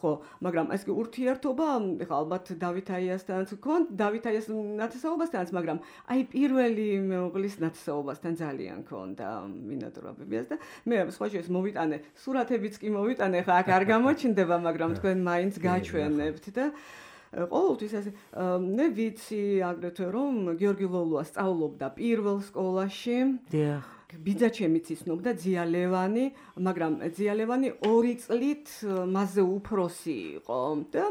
ხო მაგრამ ეს კი ურთიერთობა ეხლა ალბათ დავითაიასთან გქონდა დავითაიას ნათესაობასთანაც მაგრამ აი პირველი მეუღლის ნათესაობასთან ძალიან გქონდა მინადორობებიას და მე სხვა შეს მოვიტანე სურათებიც კი მოვიტანე ხა აქ არ გამოჩნდება მაგრამ თქვენ მაინც გაჩვენებთ და ყოველთვის ასე მე ვიცი აგრეთვე რომ გიორგი ლოლუა სწავლობდა პირველ სკოლაში. დიახ. ბიძაჩემიც იცნობდა ძია ლევანი, მაგრამ ძია ლევანი 2 წლით მასზე უფროსი იყო და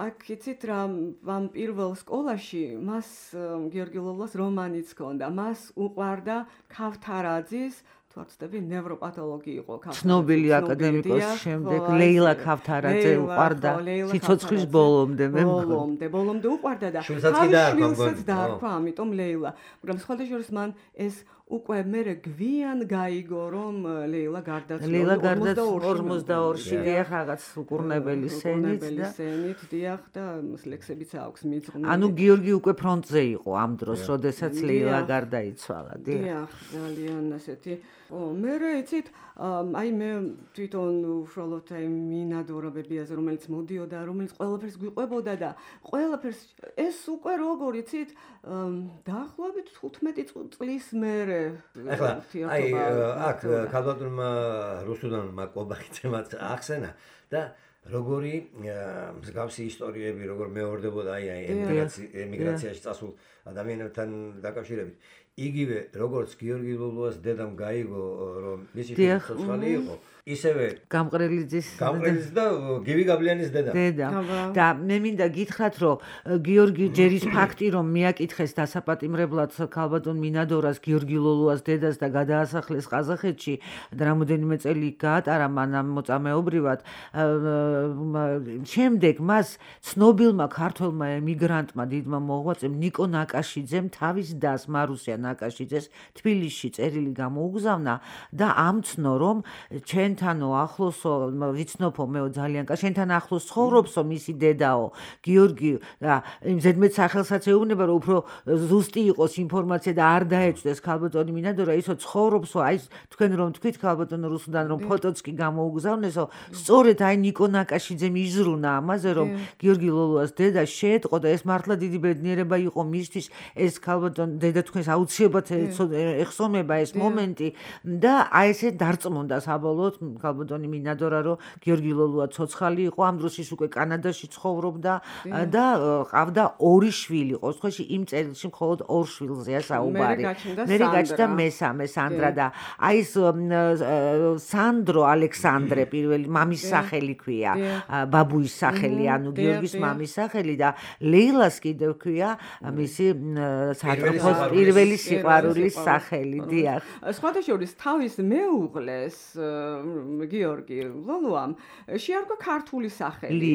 აქ იცით რა ამ პირველ სკოლაში მას გიორგი ლოლუას რომანიც ჰქონდა. მას უყვარდა ქავთარაძის ვარცდები ნევროპათოლოგი იყო ცნობილი აკადემიკოსი შემდეგ ლეილა ქავთარაძე უყვარდა სიცოცხლის ბოლომდე მე ბოლომდე უყვარდა და შვილსაც დაარქვა ამიტომ ლეილა მაგრამ სხვადასხვა მან ეს უკვე მერე გვიან გაიგო რომ ლეილა გარდაცვალა 42-ში დიახ რაღაც უკურნებელი სენით დიახ და ლექსებიც აქვს მიძღვნილი ანუ გიორგი უკვე ფრონტზე იყო ამ დროს როდესაც ლეილა გარდაიცვალა დიახ ძალიან ასეთი მერე იცით აი მე თვითონ უშუალოდ აი მინადორობებიაზე რომელიც მოდიოდა რომელიც ყველაფერს გვიყვებოდა და ყველაფერს ეს უკვე როგორ იცით დაახლოებით 15 წლის მერე ახლა აი აქ ქალბატონმა რუსუდანმა კობახიძემაც ახსენა და როგორი მსგავსი ისტორიები როგორ მეორდებოდა აი ემიგრაციაში წასულ ადამიანებთან დაკავშირებით იგივე როგორც გიორგი ლოლუას დედამ გაიგო რომ მისი ცოცხალი იყო ისევე გამყრელიძის და გივი გაბლიანის დედა და მე მინდა გითხრათ რომ გიორგი ჯერის ფაქტი რომ მიაკითხეს დასაპატიმრებლად ქალბატონ მინადორას გიორგი ლოლუას დედას და გადაასახლეს ყაზახეთში და რამოდენიმე წელი გაატარა მანამ მოწამეობრივად შემდეგ მას ცნობილმა ქართველმა ემიგრანტმა დიდმა მოღვაწემ ნიკო ნაკაშიძემ თავის დას მარუსია ნაკაშიძეს თბილისში წერილი გამოუგზავნა და ამცნო რომ ჩვენთანო ახლოსო ვიცნობო მეო ძალიან შენთან ახლოს ცხოვრობსო მისი დედაო გიორგი და იმ ზედმეტ სახელსაც ეუბნება რომ უფრო ზუსტი იყოს ინფორმაცია და არ დაეჭდეს ქალბატონი მინადორა ისო ცხოვრობსო აი თქვენ რომ თქვით ქალბატონო რუსუდან რომ ფოტოც კი გამოუგზავნესო სწორედ აი ნიკო ნაკაშიძემ იზრუნა ამაზე რომ გიორგი ლოლუას დედა შეეტყო და ეს მართლა დიდი ბედნიერება იყო მისთვის ეს ქალბატონ დედა თქვენს აუცილებლად ეხსომება ეს მომენტი და აი ესე დარწმუნდა საბოლოოდ ქალბატონი მინადორა რომ გიორგი ლოლუა ცოცხალი იყო ამ დროს ის უკვე კანადაში ცხოვრობდა და ყავდა 2 შვილი ყოველთვის იმ წელში მხოლოდ 2 შვილზეა საუბარი მე გაჩნდა მესამე სანდრა და აი ეს სანდრო ალექსანდრე პირველი მამის სახელი ქვია ბაბუის სახელი ანუ გიორგის მამის სახელი და ლეილას კიდევ ქვია მისი სატრფოს პირველი სიყვარულის სახელი დიახ სხვადასხვა თავის მეუღლეს გიორგი ლოლუამ შეარქვა ქართული სახელი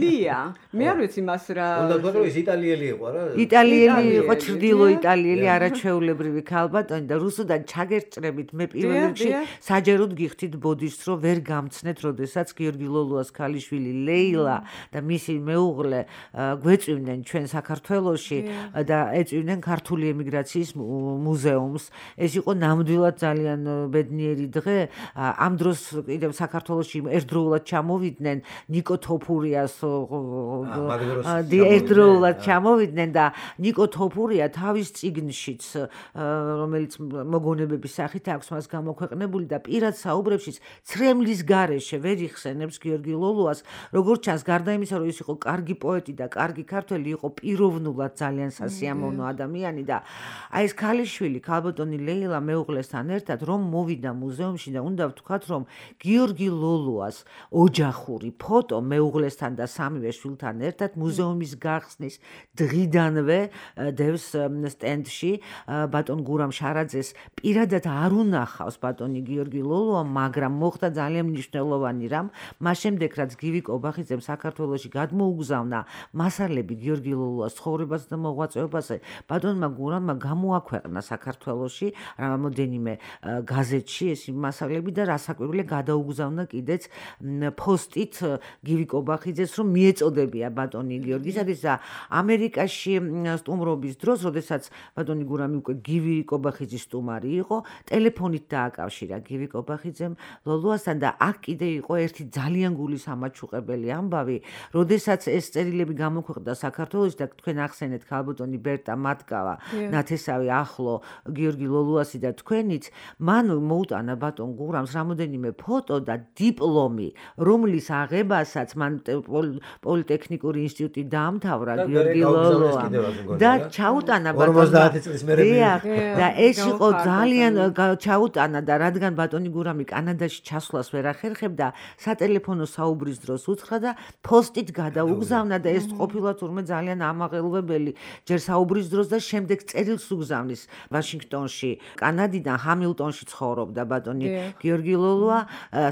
ლია მე არ ვიცი მას რა უნდა თქვა ის იტალიელი იყო რა იტალიელი იყო ჩრდილო იტალიელი არაჩვეულებრივი ქალბატონი და რუსუდან ჩაგერჭრებით მე პირველ რიგში საჯეროდ გიხდით ბოდიშს რომ ვერ გამცნეთ როდესაც გიორგი ლოლუას ქალიშვილი ლეილა და მისი მეუღლე გვეწვივნენ ჩვენ საქართველოში და ეწვივნენ ქართული ემიგრაციის მუზეუმს ეს იყო ნამდვილად ძალიან ბედნიერი დღე ამ დროს კიდევ საქართველოში ერთდროულად ჩამოვიდნენ ნიკო თოფურიას ერთდროულად ჩამოვიდნენ და ნიკო თოფურია თავის წიგნშიც რომელიც მოგონებების სახით აქვს მას გამოქვეყნებული და პირად საუბრებშიც ცრემლის გარეშე ვერ იხსენებს გიორგი ლოლუას როგორც ჩანს გარდა იმისა რომ ის იყო კარგი პოეტი და კარგი ქართველი იყო პიროვნულად ძალიან სასიამოვნო ადამიანი და აი ეს ქალიშვილი ქალბატონი ლეილა მეუღლესთან ერთად რომ მოვიდა მუზეუმში და უნდა ვთქვათ რომ გიორგი ლოლუას ოჯახური ფოტო მეუღლესთან და სამივე შვილთან ერთად მუზეუმის გახსნის დღიდანვე დევს სტენდში ბატონ გურამ შარაძეს პირადად არ უნახავს ბატონი გიორგი ლოლუა მაგრამ მოხდა ძალიან მნიშვნელოვანი რამ მას შემდეგ რაც გივი კობახიძემ საქართველოში გადმოუგზავნა მასალები გიორგი ლოლუას ცხოვრებას და მოღვაწეობაზე ბატონმა გურამმა გამოაქვეყნა საქართველოში რამოდენიმე გაზეთში ეს მასალები და რასაკვირველია გადაუგზავნა კიდეც ფოსტით გივი კობახიძეს რომ მიეწოდებია ბატონი გიორგისათვის და ამერიკაში სტუმრობის დროს როდესაც ბატონი გურამი უკვე გივი კობახიძის სტუმარი იყო ტელეფონით დააკავშირა გივი კობახიძემ ლოლუასთან და აქ კიდე იყო ერთი ძალიან გულის ამაჩუყებელი ამბავი როდესაც ეს წერილები გამოქვეყნდა საქართველოში და თქვენ ახსენეთ ქალბატონი ბერტა მატკავა ნათესავი ახლავე ახლო გიორგი ლოლუასი და თქვენიც მან მოუტანა ბატონ გურამს რამოდენიმე ფოტო და დიპლომი რომლის აღებასაც მან პოლიტექნიკური ინსტიტუტი დაამთავრა გიორგი ლოლუა და ჩაუტანა ბატონ 50 წლის მერე და ეს იყო ძალიან ჩაუტანა და რადგან ბატონი გურამი კანადაში ჩასვლას ვერ ახერხებდა სატელეფონო საუბრის დროს უთხრა და ფოსტით გადაუგზავნა და ეს ყოფილა თურმე ძალიან ამაღელვებელი ჯერ საუბრის დროს და შემდეგ წერილს უგზავნის ვაშინგტონში კანადიდან ჰამილტონში ცხოვრობდა ბატონი გიორგი ლოლუა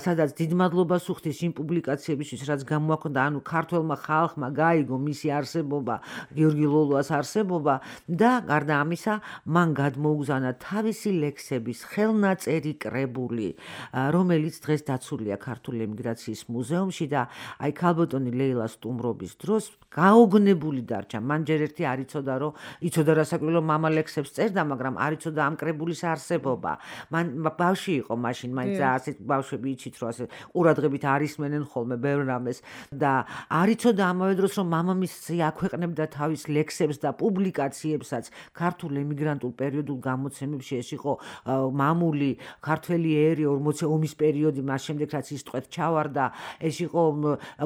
სადაც დიდ მადლობას უხდის იმ პუბლიკაციებისთვის რაც გამოაქვეყნა ანუ ქართველმა ხალხმა გაიგო მისი არსებობა გიორგი ლოლუას არსებობა და გარდა ამისა მან გადმოუგზავნა თავისი ლექსების ხელნაწერი კრებული რომელიც დღეს დაცულია ქართული ემიგრაციის მუზეუმში და აი ქალბატონი ლეილა სტუმრობის დროს გაოგნებული დარჩა მან ჯერ ერთი არ იცოდა რომ იცოდა რასაკვირველო მამა ლექსებს წერდა მაგრამ არ იცოდა ამ კრებულის არსებობა მან ბავშვი იყო მაშინ მაინც ასეთ ბავშვები იცით რომ ასე ყურადღებით არ ისმენენ ხოლმე ბევრ რამეს და არ იცოდა ამავე დროს რომ მამამისი აქვეყნებდა თავის ლექსებს და პუბლიკაციებსაც ქართულ ემიგრანტულ პერიოდულ გამოცემებში ეს იყო მამული ქართველი ერი 40 ომის პერიოდი მას შემდეგ რაც ის ტყვეთ ჩავარდა ეს იყო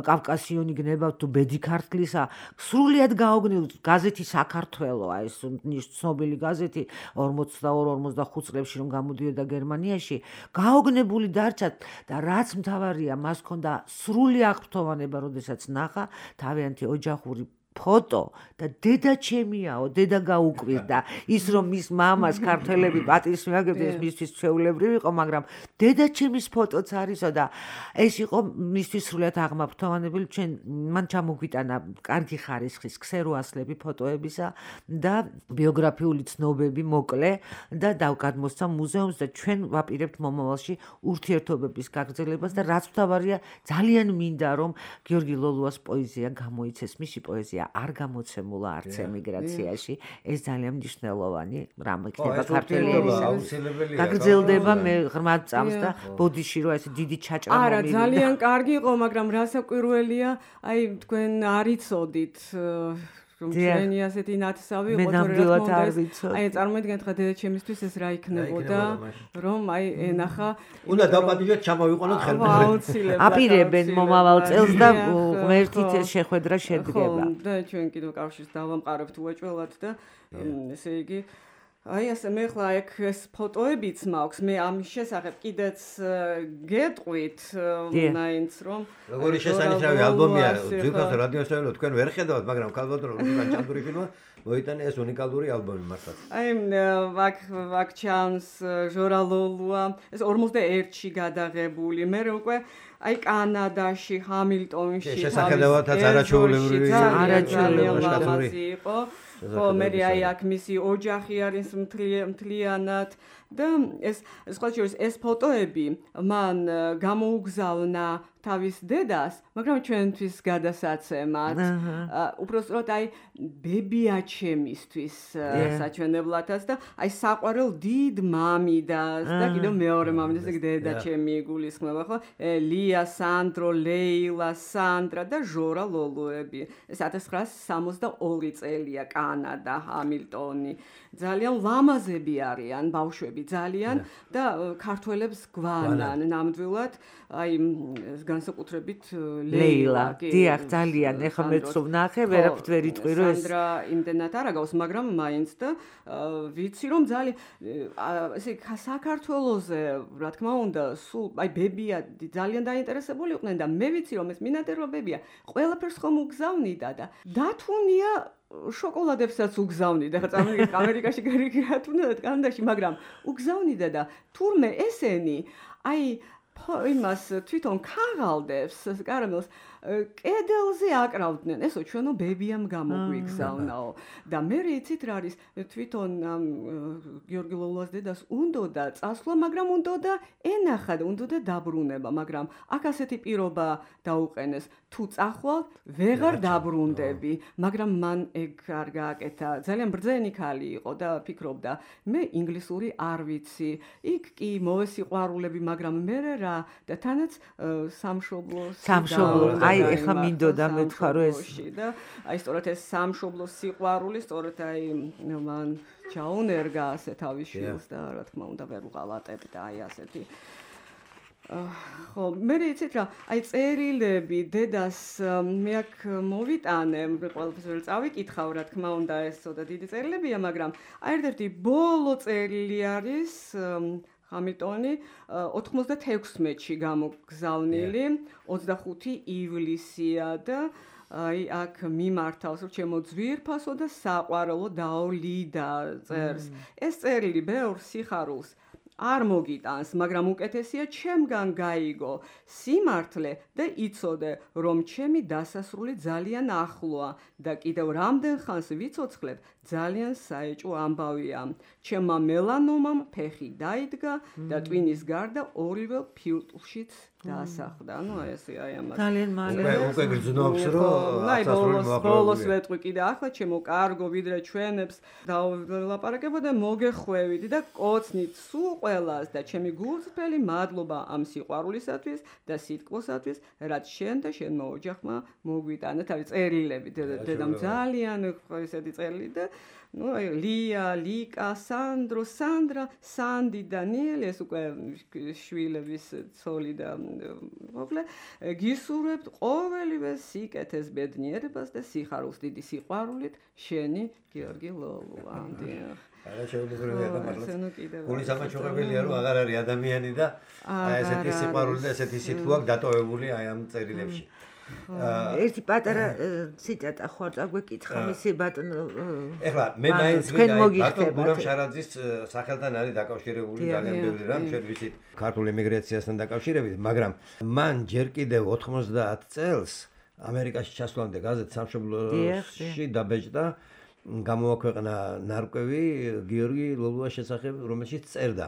კავკასიონი გნება თუ ბედი ქართლისა სრულიად გაოგნებული გაზეთი საქართველო აი ეს ცნობილი გაზეთი 42-45 წლებში რომ გამოდიოდა გერმანიაში გაოგნებული დარჩა და რაც მთავარია მას ჰქონდა სრული აღფრთოვანება როდესაც ნახა თავიანთი ოჯახური ფოტო და დედა ჩემიაო დედა გაუკვირდა ის რომ მის მამას ქართველები პატრის მიაგებდნენ მისთვის ჩვეულებრივი იყო მაგრამ დედა ჩემის ფოტოც არისო და ეს იყო მისთვის სრულად აღმაფრთოვანებული ჩვენ მან ჩამოგვიტანა კარგი ხარისხის ქსეროასლები ფოტოებისა და ბიოგრაფიული ცნობები მოკლე და გადმოსცა მუზეუმს და ჩვენ ვაპირებთ მომავალში ურთიერთობების გაგრძელებას და რაც მთავარია ძალიან მინდა რომ გიორგი ლოლუას პოეზია გამოიცეს მისი პოეზია არ გამოცემულა არც ემიგრაციაში ეს ძალიან მნიშვნელოვანი რამ იქნება ქართული აუცილებელია გაგრძელდება მე ღრმად წამს და ბოდიში რომ ეს დიდი ჩაჭრა არა ძალიან კარგი იყო მაგრამ რასაკვირველია აი თქვენ არ იცოდით რომ ჩვენი ასეთი ნათესავი იყო ნამდვილად არ ვიცოდი აი წარმოიდგინეთ ხა დედა ჩემისთვის ეს რა იქნებოდა რომ აი ენახა უნდა დაპატიჟოთ ჩამოვიყენოთ ხელმეორედ აუცილებლად აპირებენ მომავალ წელს და ღმერთით ეს შეხვედრა შედგება და ჩვენ კიდევ კავშირს დავამყარებთ უეჭველად და ესე იგი აი ასე მე ხლა ეგ ეს ფოტოებიც მაქვს მე ამის შესახებ კიდეც გეტყვით მაინც რომ როგორი შესანიშნავი ალბომია ძირფას რადიოსავალო თქვენ ვერ ხედავთ მაგრამ ქალბატონო რუსან ჭანდურიშვილმა მოიტანა ეს უნიკალური ალბომი მართლაც აი ვაკ ჩანს ჟორა ლოლუა ეს 41-ში გადაღებული მე უკვე აი კანადაში ჰამილტონში შესახედავადაც არაჩვეულებრივი იყო ხო მე აი აქ მისი ოჯახი არის მთლიანად და ეს ყოველთვის ეს ფოტოები მან გამოუგზავნა თავის დედას, მაგრამ ჩვენთვის გადასაცემად. უпростоროდ აი ბებია ჩემისთვის საჩვენებლათაც და აი საყვარელ დიდ მამიდას და კიდევ მეორე მამიდას და დედა ჩემი გულისხმობა ხო? ლია, სანდრო, ლეილა, სანდრა და ჟორა ლოლუები. ეს 1962 წელია კანადა, ჰამილტონი. ძალიან ლამაზები არიან ბავშვები ძალიან და ქართველებს გვანან ნამდვილად აი განსაკუთრებით ლეილა. დიახ, ძალიან. ეხლა მეც ვნახე, ვერაფრით ვერ იტყვი რომ ეს სანდრა იმდენად არ აგავს, მაგრამ მაინც და ვიცი რომ ძალიან ესე საქართველოზე, რა თქმა უნდა, სულ აი ბებია ძალიან დაინტერესებული იყვნენ და მე ვიცი რომ ეს მინატერვა ბებია ყველაფერს ხომ უგზავნიდა და დათუნია შოკოლადებსაც უგზავნიდა. ხა წამოვიდეთ ამერიკაში გარიგრატუნდა კანადაში, მაგრამ უგზავნიდა და თურმე ესენი აი იმას თვითონ ქაღალდებს, კარამელს კედელზე აკრავდნენ. ესო ჩვენო ბებიამ გამოგვიგზავნაო. და მე იცით რა არის თვითონ გიორგი ლოლუას დედას უნდოდა წასვლა, მაგრამ უნდოდა ენახა და უნდოდა დაბრუნება, მაგრამ აქ ასეთი პირობა დაუყენეს. თუ წახვალ ვეღარ დაბრუნდები, მაგრამ მან ეგ არ გააკეთა. ძალიან ბრძენი ქალი იყო და ფიქრობდა, მე ინგლისური არ ვიცი. იქ კი მოვესიყვარულები, მაგრამ მე რა და თანაც სამშობლოს აი ეხლა მინდოდა მეთქვა რომ ეს და აი სწორედ ეს სამშობლო სიყვარული სწორედ აი მან ჩაუნერგა ასე თავის შვილს და რა თქმა უნდა ვერ უღალატებ და აი ასეთი ხო მე იცით რა აი წერილები დედას მე აქ მოვიტანე ყველაფერს ვერ წავიკითხავ რა თქმა უნდა ეს ცოტა დიდი წერილებია მაგრამ აი ერთ-ერთი ბოლო წერილი არის ჰამილტონი 96-ში გამოგზავნილი 25 ივლისია და აი აქ მიმართავს რომ ჩემო ძვირფასო და საყვარელო დაოლიდა წერს ეს წერილი ბევრ სიხარულს არ მოგიტანს, მაგრამ უკეთესია ჩემგან გაიგო სიმართლე და იცოდე, რომ ჩემი დასასრული ძალიან ახლოა და კიდევ რამდენ ხანს ვიცოცხლებ, ძალიან საეჭვო ამბავია. ჩემმა მელანომამ ფეხი დაიდგა და ტვინის გარდა ორივე ფილტვშიც დაასახდა. ნუ ესე აი ამას. ძალიან მალე. უკვე გრძნობს რომ ბოლოს ვეტყვი კიდე ახლა ჩემო კარგო ვიდრე ჩვენებს დაველაპარაკებო და მოგეხვევიდი და კოცნით სულ ყველას და ჩემი გულწრფელი მადლობა ამ სიყვარულისათვის და სიტყვოსათვის, რაც შენ და შენმა ოჯახმა მოგვიტანა თავი წერილები დედამ ძალიან ესეთი წერილი და ну ლია, ლიკა, სანდრო, სანდრა, სანდი, დანიელი ეს უკვე შვილების ცოლი და მოკლე გისურვებთ ყოველივე სიკეთეს ბედნიერებას და სიხარულს დიდი სიყვარულით შენი გიორგი ლოლუა. არა შეუძლებელია და მართლა გულის ამაჩუღებელია რომ აღარ არის ადამიანი და აი ესეთი სიყვარული და ესეთი სიტყვა დატოვებული აი ამ წერილებში. ერთი პატარა ციტატა ხო არ წაგვეკითხა მისი ბატონო ეხლა მე მაინც ბატონ გურამ შარაძის სახელთან არის დაკავშირებული ძალიან ბევრი რამ ჩვენ ვიცით ქართულ ემიგრაციასთან დაკავშირებით მაგრამ მან ჯერ კიდევ 90 წელს ამერიკაში ჩასვლამდე გაზეთ სამშობლოში დაბეჭდა გამოაქვეყნა ნარკვევი გიორგი ლოლუას შესახებ რომელშიც წერდა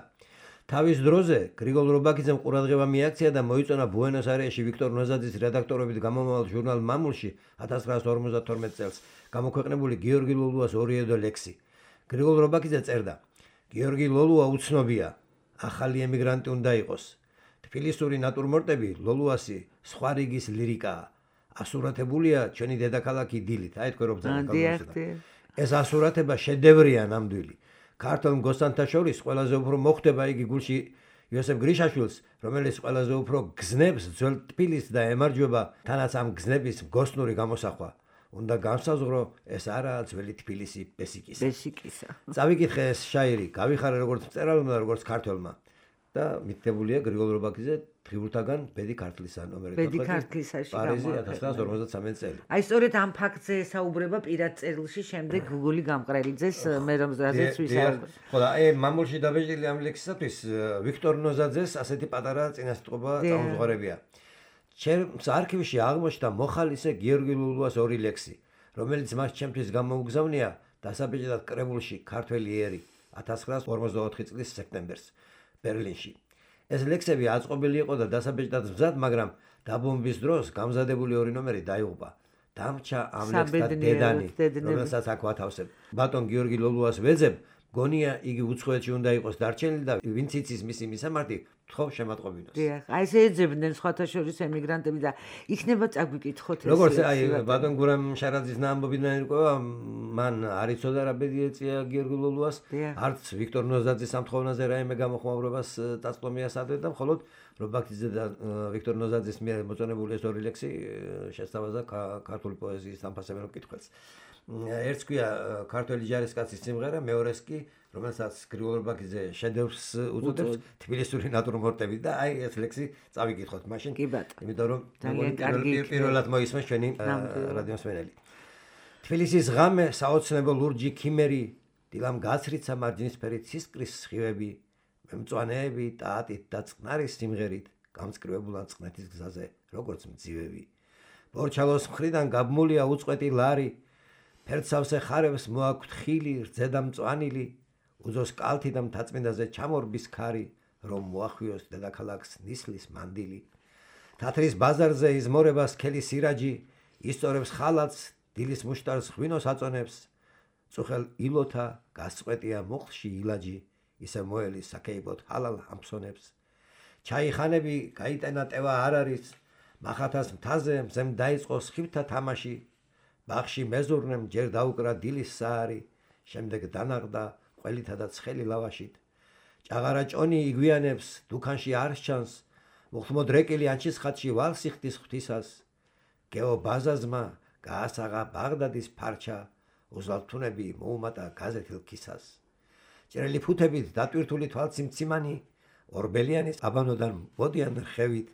თავის დროზე გრიგოლ რობაქიძემ ყურადღება მიაქცია და მოიწონა ბუენოს-აირესში ვიქტორ ნოზაძის რედაქტორობით გამომავალ ჟურნალ მამულში 1952 წელს გამოქვეყნებული გიორგი ლოლუას ორიედო ლექსი. გრიგოლ რობაქიძე წერდა: გიორგი ლოლუა უცნობია, ახალი ემიგრანტი უნდა იყოს. თბილისური ნატურმორტები ლოლუასი სხვა რიგის ლირიკაა. ასურათებულია ჩვენი დედაქალაქი დილით. აი თქვენ რო ბრძანეთ. ეს ასურათება შედევრია ნამდვილი. ქართულ მგოსანთა შორის ყველაზე უფრო მოხვდება იგი გულში იოსებ გრიშაშვილს, რომელიც ყველაზე უფრო გზნებს ძველ თბილისს და ემარჯვება თანაც ამ გზნების მგოსნური გამოსახვა. უნდა განსაზღვრო, ეს არაა ძველი თბილისი ბესიკისა. წავიკითხე ეს შაირი, გავიხარე როგორც მწერალმა, როგორც ქართველმა. და მითებულია გრიგოლ რობაქიძე დღიურთაგან ბედი ქართლისა ნომერი 14. ბედი ქართლისაში პარიზი 1953 წელი. აი სწორედ ამ ფაქტზე ესაუბრება პირად წერილში შემდეგ გუგული გამყრელიძეს მე რომ ზრაზეც ვისაუბრე. ხო და აი მამულში დაბეჭდილი ამ ლექსისათვის ვიქტორ ნოზაძეს ასეთი პატარა წინასწრობა წამოუღარებია. ჩემს არქივში აღმოჩნდა მოხალისე გიორგი ლოლუას ორი ლექსი, რომელიც მას ჩემთვის გამოუგზავნია დასაბეჭდად კრებულში ქართველი ერი 1954 წლის სექტემბერს. ბერლინში. ეს ლექსები აწყობილი იყო და დასაბეჭდად მზად, მაგრამ დაბომბვის დროს გამზადებული ორი ნომერი დაიღუპა. დამრჩა ამ ლექსთა დედანი, რომელსაც აქ ვათავსებ. ბატონ გიორგი ლოლუას ვეძებ, გონია იგი უცხოეთში უნდა იყოს დარჩენილი და ვინც იცის მისი მისამართი, თხოვ შემატყობინოს. დიახ, აი ესე ეძებდნენ სხვათა შორის ემიგრანტები და იქნება წაგვიკითხოთ ეს. როგორც აი ბატონ გურამ შარაძის ნაამბობიდან ირკვევა, მან არ იცოდა რა ბედი ეწია გიორგი ლოლუას, არც ვიქტორ ნოზაძის ამთხოვნაზე რაიმე გამოხმაურებას დაწყვეტია სადღაც და მხოლოდ რობაქიძე და ვიქტორ ნოზაძის მიერ მოწონებული ეს ორი ლექსი შესთავაზა ქართული პოეზიის სამფასებელ მკითხველს. ერთს ქვია ქართველი ჯარისკაცის სიმღერა, მეორეს კი რომელსაც გრიგოლ რობაქიძე შედევრს უწოდებს თბილისური ნატურმორტები და აი ეს ლექსი წავიკითხოთ მაშინ. იმიტომ რომ პირველად მოისმენს ჩვენი რადიო მსმენელი. თბილისის ღამე საოცნებო ლურჯი ქიმერი, დილამ გაცრიცა მარჯნისფერი ცისკრის სხივები, მემწვანეები ტაატით და წყნარის სიმღერით გამწკრივებულან წყნეთის გზაზე როგორც მძივები. ბორჩალოს მხრიდან გაბმულია უწყვეტი ლარი, ფერცავსე ხარებს მოაქვთ ხილი, რძედა მწვანილი, უძოს კალთი და მთაწმინდაზე ჩამორბის ქარი, რომ მოახვიოს დედაქალაქს ნისლის მანდილი. თათრის ბაზარზე იზმორება სქელი სირაჯი, ისწორებს ხალათს, დილის მუშტარს ღვინოს აწონებს, წუხელ ილოთა გასწყვეტია მოხლში ილაჯი, ისე მოელის საქეიბოთ ჰალალ ამსონებს. ჩაიხანები გაიტანა ტევა არ არის, მახათას მთაზე მზემ დაიწყო სხივთა თამაში, ბაღში მეზურნემ ჯერ დაუკრა დილის საარი, შემდეგ დანაღდა ყველითა და ცხელი ლავაშით. ჭაღარა ჭონი იგვიანებს, დუქანში არ სჩანს, მუხთმოდ რეკილი ანჩის ხატში ვალსი ხდის ღვთისას. გეო ბაზაზმა გაასაღა ბაღდადის ფარჩა, უზალთუნები მოუმატა გაზეთილ ქისას. ჭრელი ფუთებით დატვირთული თვალცი მციმანი, ორბელიანის აბანოდან მოდიან რხევით,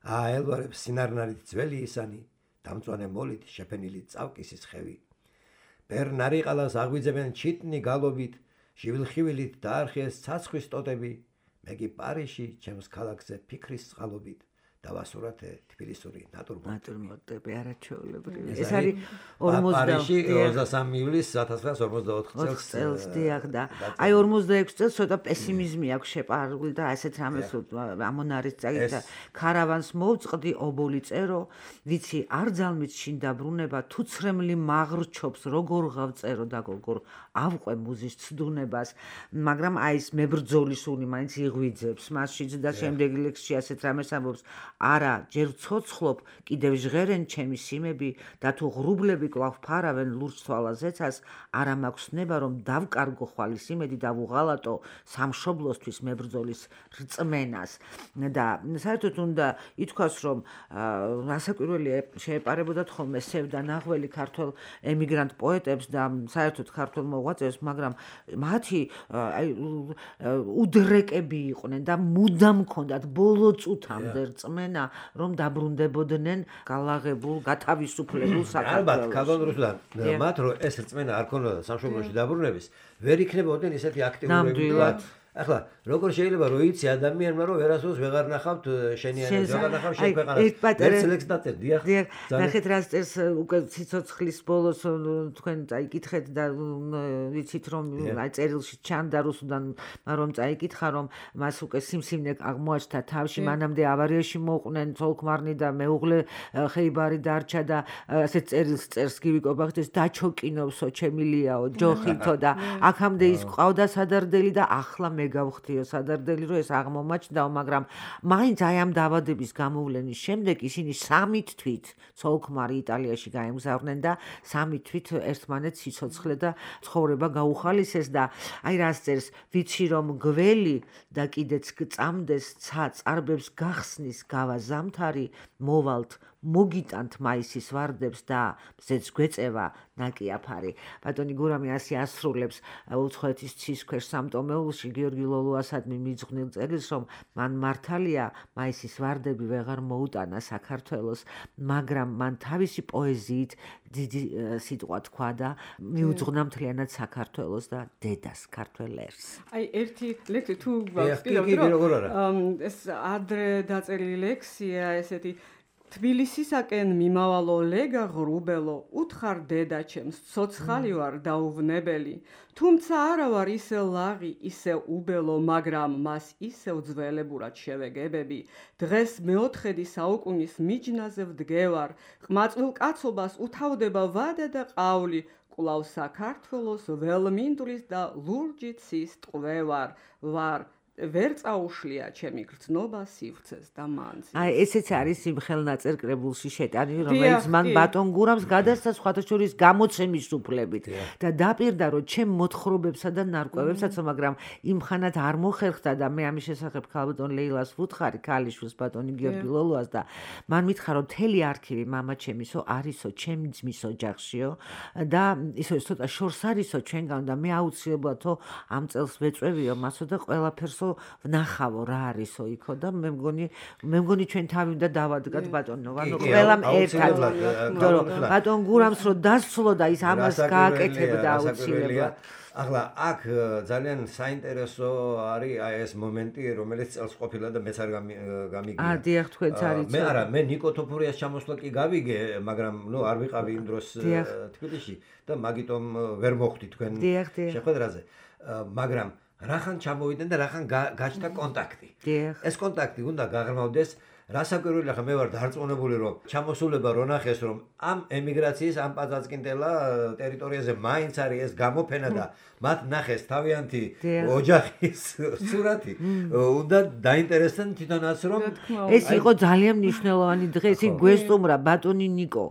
აელვარებს სინარნარით ძველი ისანი, დამწვანე მოლით შეფენილი წავკისის ხევი. ბერნარიყალას აღვიძებენ ჩიტნი გალობით, ჟივილხივილით დაარხიეს ცაცხვის ტოტები, მე კი პარიში ჩემს ქალაქზე ფიქრის წყალობით. დავასურათე თბილისური ნატურმორტები არაჩვეულებრივი. ეს არის 23 ივლისს 1944 წელს დიახ და აი 46 წელს ცოტა პესიმიზმი აქვს შეპარული და ასეთ რამეს ამონარის წაგით ქარავანს მოვწყდი ობოლი წერო, ვიცი არ ძალმით შინ დაბრუნება, თუ ცრემლი მაღრჩობს როგორ გავწერო და როგორ ავყვე მუზის ცდუნებას, მაგრამ აი ეს მებრძოლის სუნი მაინც იღვიძებს მასშიც და შემდეგი ლექსში ასეთ რამეს ამბობს. არა, ჯერ ცოცხლობ, კიდევ ჟღერენ ჩემი სიმები და თუ ღრუბლები კვლავ ფარავენ ლურჯ თვალაზეცას, არა მაქვს ნება რომ დავკარგო ხვალის იმედი და ვუღალატო სამშობლოსთვის მებრძოლის რწმენას. და საერთოდ უნდა ითქვას, რომ რასაკვირველი შეეპარებოდათ ხოლმე სევდა ნაღველი ქართველ ემიგრანტ პოეტებს და საერთოდ ქართველ მოღვაწეებს, მაგრამ მათი უდრეკები იყვნენ და მუდამ ჰქონდათ ბოლო წუთამდე რწმენა რომ დაბრუნდებოდნენ გალაღებულ, გათავისუფლებულ საქართველოში. ალბათ, ქართულ რუსუდან მათ რომ ეს რწმენა არ ქონოდა სამშობლოში დაბრუნების, ვერ იქნებოდნენ ისეთი აქტიურები. ახლა როგორ შეიძლება რომ იცი ადამიანმა რომ ვერასდროს ვეღარ ნახავთ შენიანებს, ვეღარ ნახავ შენ ქვეყანას. ერთ ლექს დაწერ, დიახ. ნახეთ რას წერს უკვე ციცოცხლის ბოლოს თქვენ წაიკითხეთ და ვიცით რომ აი წერილში ჩანდა რუსუდან რომ წაიკითხა რომ მას უკვე სიმსივნე აღმოაჩნდა თავში, მანამდე ავარიაში მოუყვნენ ცოლქმარნი და მეუღლე ხეიბარი დარჩა და ასეთ წერილს წერს გივი კობახეთის დაჩოკინოვსო ჩემილიაო ჯოხითო და აქამდე ის ყავდა სადარდელი და ახლა მე გავხდიო სადარდელი რომ ეს აღმომაჩნდაო, მაგრამ მაინც აი ამ დავადების გამოვლენის შემდეგ ისინი 3 თვით ცოლქმარი იტალიაში გაემგზავრნენ და 3 თვით ერთმანეთს სიცოცხლე და ცხოვრება გაუხალისეს და აი რას წერს, ვიცი რომ გველი და კიდეც გწამდეს ცა წარბებს გახსნის გავა ზამთარი, მოვალთ მოგიტანთ მაისის ვარდებს და მზეც გვეწევა ნაკიაფარი. ბატონი გურამი ასე ასრულებს უცხოეთის ცის ქვეშ სამტომეულში გიორგი ლოლუასადმი მიძღვნილ წერილს, რომ მან მართალია მაისის ვარდები ვეღარ მოუტანა საქართველოს, მაგრამ მან თავისი პოეზიით დიდი სიტყვა თქვა და მიუძღვნა მთლიანად საქართველოს და დედას ქართველ ერს. აი ერთი ლექსი თუ გვაქვს, ეს ადრე დაწერილი ლექსია, ესეთი თბილისისაკენ მიმავალო ლეგა ღრუბელო, უთხარ დედა ჩემს, ცოცხალი ვარ დაუვნებელი, თუმცა არა ვარ ისე ლაღი, ისე უბელო, მაგრამ მას ისევ ძველებურად შევეგებები. დღეს მეოთხედი საუკუნის მიჯნაზე ვდგევარ, ყმაწვილ კაცობას უთავდება ვადა და ყავლი, კვლავ საქართველოს ველმინდვრის და ლურჯი ცის ტყვევარ ვარ. ვერ წაუშლია ჩემი გრძნობა სივრცეს და მანძილს. აი ესეც არის იმ ხელნაწერ კრებულში შეტანილი, რომელიც მან ბატონ გურამს გადასცა სხვათა შორის გამოცემის უფლებით და დაპირდა რომ ჩემ მოთხრობებსა და ნარკვევებსაც, მაგრამ იმხანად არ მოხერხდა და მე ამის შესახებ ქალბატონ ლეილას ვუთხარი, ქალიშვილს ბატონი გიორგი ლოლუას და მან მითხრა რომ მთელი არქივი მამა ჩემისო არისო, ჩემი ძმის ოჯახშიო და ისო ცოტა შორს არისო ჩვენგან და მე აუცილებლადო ამ წელს ვეწვევიო მასო და ყველაფერს ვნახავო რა არისო იქო და მე მგონი ჩვენ თავი უნდა დავადგათ ბატონო, ანუ ყველამ ერთად. ბატონ გურამს რო დასცლო და ის ამას გააკეთებდა აუცილებლად. ახლა აქ ძალიან საინტერესო არის აი ეს მომენტი, რომელიც წელს ყოფილა და მეც არ გამიგია. დიახ, თქვენც არის. მე ნიკო თოფურიას ჩამოსვლა კი გავიგე, მაგრამ არ ვიყავი იმ დროს თბილისში და მაგიტომ ვერ მოხვდი თქვენ შეხვედრაზე. მაგრამ რახან ჩამოვიდნენ და რახან გაჩნდა კონტაქტი. ეს კონტაქტი უნდა გაღრმავდეს რასაკვირველია ხა მე ვარ დარწმუნებული რომ ჩამოსულება რო ნახეს რომ ამ ემიგრაციის ამ პაწაწკინდელა ტერიტორიაზე მაინც არის ეს გამოფენა და მათ ნახეს თავიანთი ოჯახის სურათი უნდა დაინტერესდნენ თვითონაც რომ ეს იყო ძალიან მნიშვნელოვანი დღე ის გვესტუმრა ბატონი ნიკო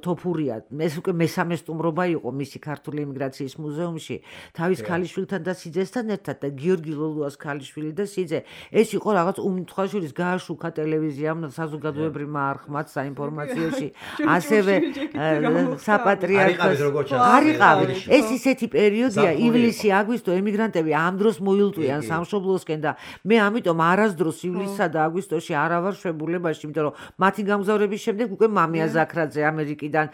თოფურია ეს უკვე მესამე სტუმრობა იყო მისი ქართული ემიგრაციის მუზეუმში თავის ქალიშვილთან და სიძესთან ერთად და გიორგი ლოლუას ქალიშვილი და სიძე ეს იყო რაღაც უმთხვაშვილის გააშუქა ტელევიზიამ საზოგადოებრივმა არხმაც საინფორმაციოში ასევე საპატრიარქოს არიყავი ეს ისეთი პერიოდია ივლისი აგვისტო ემიგრანტები ამ დროს მოილტვიან სამშობლოსკენ და მე ამიტომ არასდროს ივლისსა და აგვისტოში არ ვარ შვებულებაში იმიტომ რომ მათი გამგზავრების შემდეგ უკვე მამია ზაქრაძე ამერიკიდან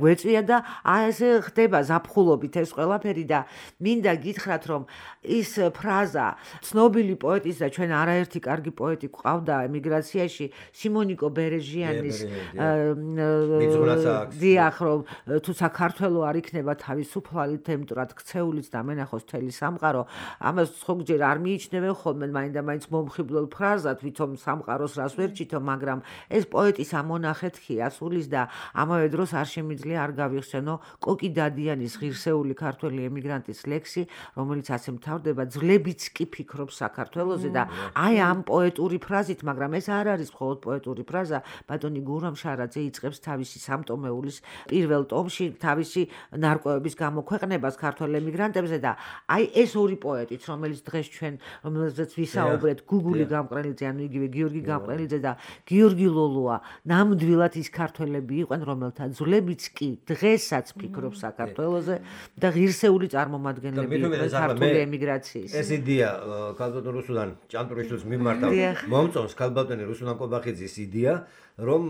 გვეწვია და ესე ხდება ზაფხულობით ეს ყველაფერი და მინდა გითხრათ რომ ის ფრაზა ცნობილი პოეტის და ჩვენ არაერთი კარგი პოეტი ყავდა ემიგრაციაში სიმონიკო ბერეჟიანის დიახ რომ თუ საქართველო არ იქნება თავისუფალი თემტრად ქცეულიც და მენახოს თელი სამყარო ამას ხოგჯერ არ მიიჩნევენ ხოლმე მაინდა-მაინც მომხიბლელ ფრაზად ვითომ სამყაროს რას ვერ ჭითო მაგრამ ეს პოეტის ამონახეთქი ასulis და ამავე დროს არ შემიძლია არ გავიხსენო კოკი დადიანის ღირსეული ქართველი ემიგრანტის ლექსი, რომელიც ასე მთავრდება ძვლებიც კი ფიქრობს საქართველოზე და აი ამ პოეტური ფრაზით, მაგრამ ეს არ არის მხოლოდ პოეტური ფრაზა, ბატონი გურამ შარაძე იწყებს თავისი სამტომეულის პირველ ტომში თავისი ნარკვევების გამოქვეყნებას ქართველ ემიგრანტებზე და აი ეს ორი პოეტიც, რომელიც დღეს ჩვენ რომელზეც ვისაუბრეთ, გუგული გამყრელიძე, ანუ იგივე გიორგი გამყრელიძე და გიორგი ლოლუა, ნამდვილად ის ქართველები იყვნენ რომელთა ძვლებიც კი დღესაც ფიქრობს საქართველოზე და ღირსეული წარმომადგენლები იყვნენ ქართული ემიგრაციის. ეს იდეა ქალბატონ რუსუდან ჭანტურიშვილს მიმართავ მომწონს ქალბატონი რუსუდან კობახიძის იდეა რომ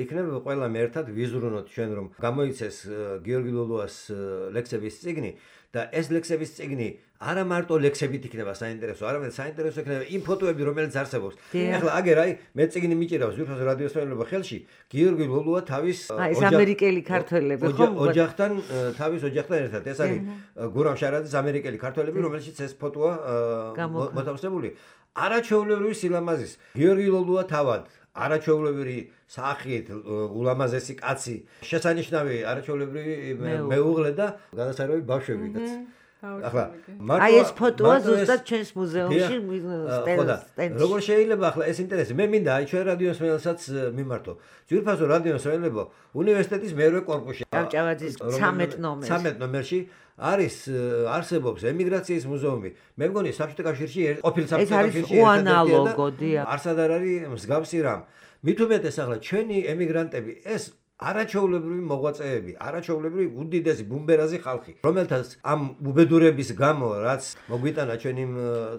იქნება ყველამ ერთად ვიზრუნოთ ჩვენ რომ გამოიცეს გიორგი ლოლუას ლექსების წიგნი და ეს ლექსების წიგნი არა მარტო ლექსებით იქნება საინტერესო, არამედ საინტერესო იქნება იმ ფოტოები, რომელიც არსებობს. ახლა აგერ აი მე წიგნი მიჭირავს ვიფას რადიოსმენელობა ხელში, გიორგი ლოლუა თავის ეს ამერიკელი ქართველები ხო? ოჯახთან თავის ოჯახთან ერთად. ეს არის გურამ შარაძის ამერიკელი ქართველები, რომელშიც ეს ფოტოა მოთავსებული. არაჩვეულებრივი სილამაზის გიორგი ლოლუა თავად არაჩვეულებრივი სახით ულამაზესი კაცი შესანიშნავი არაჩვეულებრივი მეუღლე და განსაკუთრებით ბავშვებიც ახლა აი ეს ფოტოა ზუსტად ჩვენს მუზეუმში სტენდში როგორ შეიძლება ახლა ეს ინტერესი მე მინდა აი ჩვენ რადიოს მელსაც მიმართო ძვირფასო რადიოს მელebo უნივერსიტეტის მერვე კორპუსში ჭავჭავაძის 13 ნომერში არის არსებობს ემიგრაციის მუზეუმი. მე მგონი საბჭოთა კავშირში ყოფილ საბჭოთა კავშირში ერთადერთია. არსად არ არის მსგავსი რამ. მით უმეტეს ახლა ჩვენი ემიგრანტები ეს არაჩვეულებრივი მოღვაწეები, არაჩვეულებრივი უდიდესი ბუმბერაზი ხალხი, რომელთაც ამ უბედურების გამო რაც მოგვიტანა ჩვენი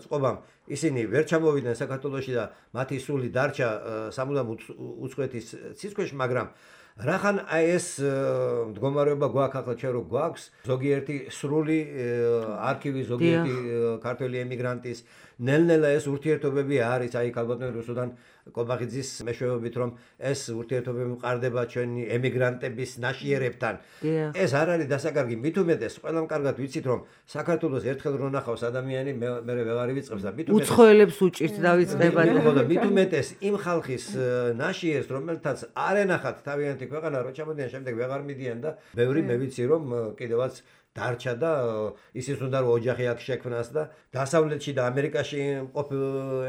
წყობამ ისინი ვერ ჩამოვიდნენ საქართველოში და მათი სული დარჩა სამუდამ უცხოეთის ციცქვეშ, მაგრამ რახან აი ეს მდგომარეობა გვაქვს ახლა ჩვენ რო გვაქვს ზოგიერთი სრული არქივი ზოგიერთი ქართველი ემიგრანტის ნელ-ნელა ეს ურთიერთობები არის აი ქალბატონ რუსუდან კობახიძის მეშვეობით რომ ეს ურთიერთობები მყარდება ჩვენი ემიგრანტების ნაშიერებთან ეს არ არის დასაკარგი მით უმეტეს ყველამ კარგად ვიცით რომ საქართველოს ერთხელ რო ნახავს ადამიანი მე ვეღარ ვიწყებს და მით უმეტეს უცხოელებს უჭირთ დავიწყება და მით უმეტეს იმ ხალხის ნაშიერს რომელთაც არ ენახათ თავიანთი ქვეყანა რო ჩამოდიან შემდეგ ვეღარ მიდიან და ბევრი მე ვიცი რომ კიდევაც დარჩა და ისიც უნდა რომ ოჯახი აქ შექმნას და დასავლეთში და ამერიკაში ყოფილ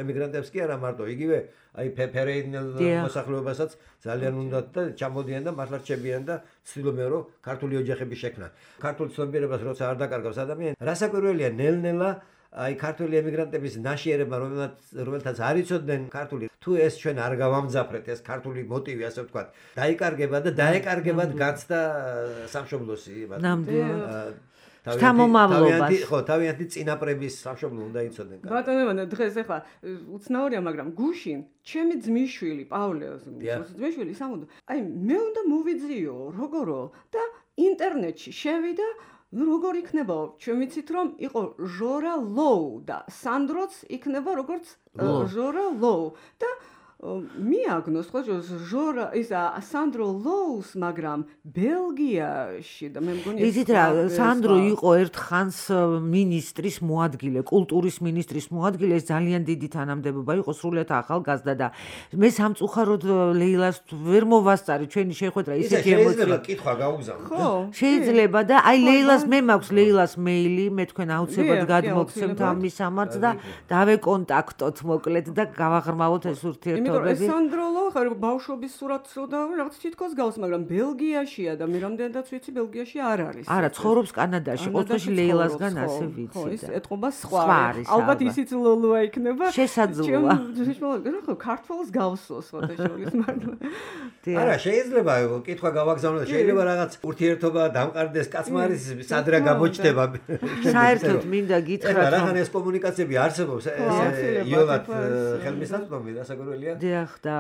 ემიგრანტებს კი არა მარტო იგივე აი ფერეინელ მოსახლეობასაც ძალიან უნდათ და ჩამოდიან და მართლა რჩებიან და ცდილობენ რომ ქართული ოჯახები შექმნან. ქართულ ცნობიერებას როცა არ დაკარგავს ადამიანი, რასაკვირველია ნელ-ნელა აი ქართული ემიგრანტების ნაშიერება რომელთაც არ იცოდნენ ქართული თუ ეს ჩვენ არ გავამძაფრეთ ეს ქართული მოტივი ასე ვთქვათ დაიკარგება და დაეკარგებად გაცდა სამშობლოსი თავიანთი წინაპრების სამშობლო უნდა იცოდნენ ბატონო დღეს ახლა უცნაურია მაგრამ გუშინ ჩემი ძმისშვილი პავლე ძმისშვილი სამუდო აი მე უნდა მოვიძიო როგორო და ინტერნეტში შევიდა როგორ იქნება ჩვენ ვიცით რომ იყო ჟორა ლოუ და სანდროც იქნება როგორც ჟორა ლოუ და მიაგნოს ხო ჟორა ისა სანდრო ლოუს მაგრამ ბელგიაში და მე მგონი იცით რა სანდრო იყო ერთხანს მინისტრის მოადგილე კულტურის მინისტრის მოადგილე ეს ძალიან დიდი თანამდებობა იყო სრულიად ახალგაზრდა და მე სამწუხაროდ ლეილას ვერ მოვასწარი ჩვენი შეხვედრა ისეთი ემოცია შეიძლება კითხვა გაუგზავნო ხო შეიძლება და აი ლეილას მე მაქვს ლეილას მეილი მე თქვენ აუცილებლად გადმოგცემთ ამის სამართ და დავეკონტაქტოთ მოკლედ და გავაღრმავოთ ეს ურთიერთობები სანდროლო ხარ ბავშვობის სურათს და რაღაც თითქოს გავს მაგრამ ბელგიაშია და მე რამდენადაც ვიცი ბელგიაში არ არის არა ცხოვრობს კანადაში ოთხში ლეილასგან ასე ვიცი ხო ეს ეთყობა სხვა ალბათ ისიც ლოლოა იქნება შესაძლოა ხო ქართულს გავსოს ფოტოშოპის მაგრამ არა შეიძლება კითხვა გავაგზავნო შეიძლება რაღაც ურთიერთობა დამყარდეს კაცმა არის სადრა გამოჩდება საერთოდ მინდა გითხრათ რომ ეს კომუნიკაციები არსებობს ეს იოლად ხელმისაწვდომი რასაკვირველია დიახ და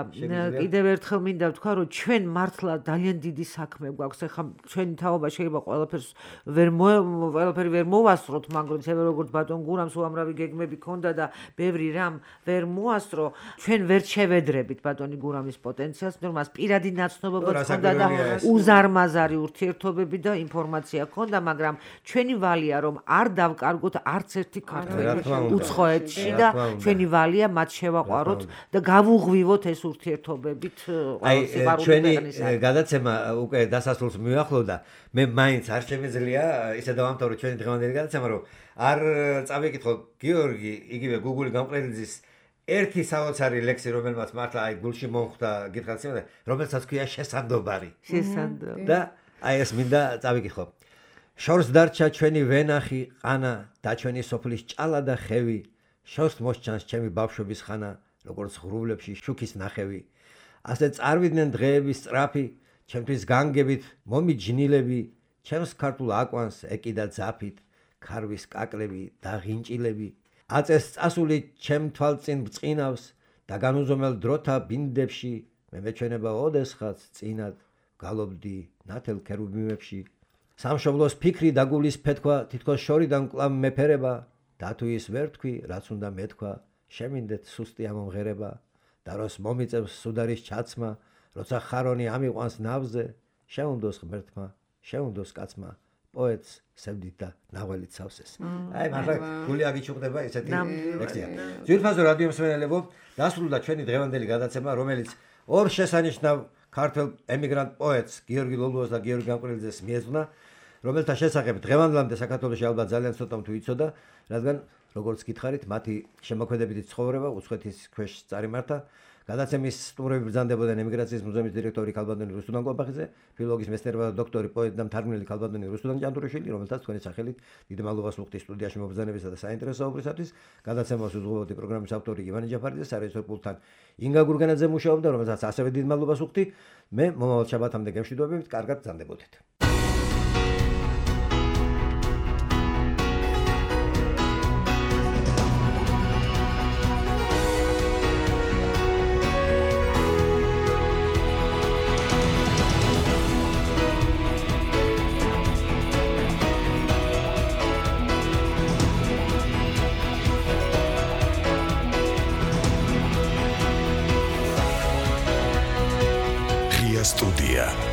კიდევ ერთხელ მინდა ვთქვა რომ ჩვენ მართლა ძალიან დიდი საქმე გვაქვს ეხლა ჩვენი თაობა შეიძლება ყველაფერი ვერ მოვასწროთ მაგრამ ისევე როგორც ბატონ გურამს უამრავი გეგმები ქონდა და ბევრი რამ ვერ მოასწრო ჩვენ ვერ შევედრებით ბატონი გურამის პოტენციალს მაგრამ მას პირადი ნაცნობობაც ქონდა და უზარმაზარი ურთიერთობები და ინფორმაცია ქონდა მაგრამ ჩვენი ვალია რომ არ დავკარგოთ არც ერთი ქართველი უცხოეთში და ჩვენი ვალია მათ შევაყვაროთ და გავუღვივოთ ეს ურთიერთობებით ჩვენი გადაცემა უკვე დასასრულს მივახლოვდა მე მაინც არ შემეძლია ისე დავამთავრო ჩვენი დღევანდელი გადაცემა რომ არ წავიკითხო გიორგი იგივე გუგული გამყრელიძის ერთი საოცარი ლექსი რომელმაც მართლა აი გულში მომხვდა გითხრათ სიმართლე რომელსაც ქვია შესანდობარი და აი ეს მინდა წავიკითხო შორს დარჩა ჩვენი ვენახი ყანა და ჩვენი სოფლის ჭალა და ხევი შორს მოსჩანს ჩემი ბავშვობის ხანა როგორც ღრუბლებში შუქის ნახევი ასე წარვიდნენ დღეების სწრაფი ჩემთვის განგებით მომიჯნილები ჩემს ქართულ აკვანს ეკიდა ძაფით ქარვის კაკლები და ღინჭილები აწეს წასული ჩემ თვალწინ ბწყინავს და განუზომელ დროთა ბინდებში მე მეჩვენება ოდესღაც წინად გალობდი ნათელ ქერუბიმებში სამშობლოს ფიქრი და გულის ფეთქვა თითქოს შორიდან კლავ მეფერება და თუ ის ვერ თქვი რაც უნდა მეთქვა შემინდეთ სუსტი ამომღერება და როს მომიწევს სუდარის ჩაცმა როცა ხარონი ამიყვანს ნავზე შეუნდოს ღმერთმა შეუნდოს კაცმა პოეტს სევდით და ნაველით სავსეს აი მართლა გული აგიჩუქდება ესეთი ლექსია ძირფაზო რადიო მსმენელებო დასრულდა ჩვენი დღევანდელი გადაცემა რომელიც ორ შესანიშნავ ქართველ ემიგრანტ პოეტს გიორგი ლოლუას და გიორგი გამყრელიძეს მიეძღვნა რომელთა შესახებ დღევანდლამდე საქართველოში ალბათ ძალიან ცოტამ თუ იცოდა რადგან როგორც გითხარით მათი შემოქმედებითი ცხოვრება უცხოეთის ქვეშ წარიმართა გადაცემის სტუმრები ბრძანდებოდნენ ემიგრაციის მუზეუმის დირექტორი ქალბატონი რუსუდან კვაბახიძე, ფილოლოგიის მეცნიერება და დოქტორი პოეტი და მთარგმნელი ქალბატონი რუსუდან ჭანტურიშვილი, რომელთაც თქვენი სახელით დიდი მადლობას ვუხდით სტუდიაში მობრძანებისა და საინტერესო საუბრისათვის. გადაცემას უძღვებოდი პროგრამის ავტორი ივანე ჯაფარიძე, სარეჟისორო პულტთან ინგა გურგენაძე მუშაობდა, რომელსაც ასევე დიდი მადლობას ვუხდი. მე მომავალ შაბათამდე გემშვიდობებით, კარგად ბრძანდებოდეთ. Студия.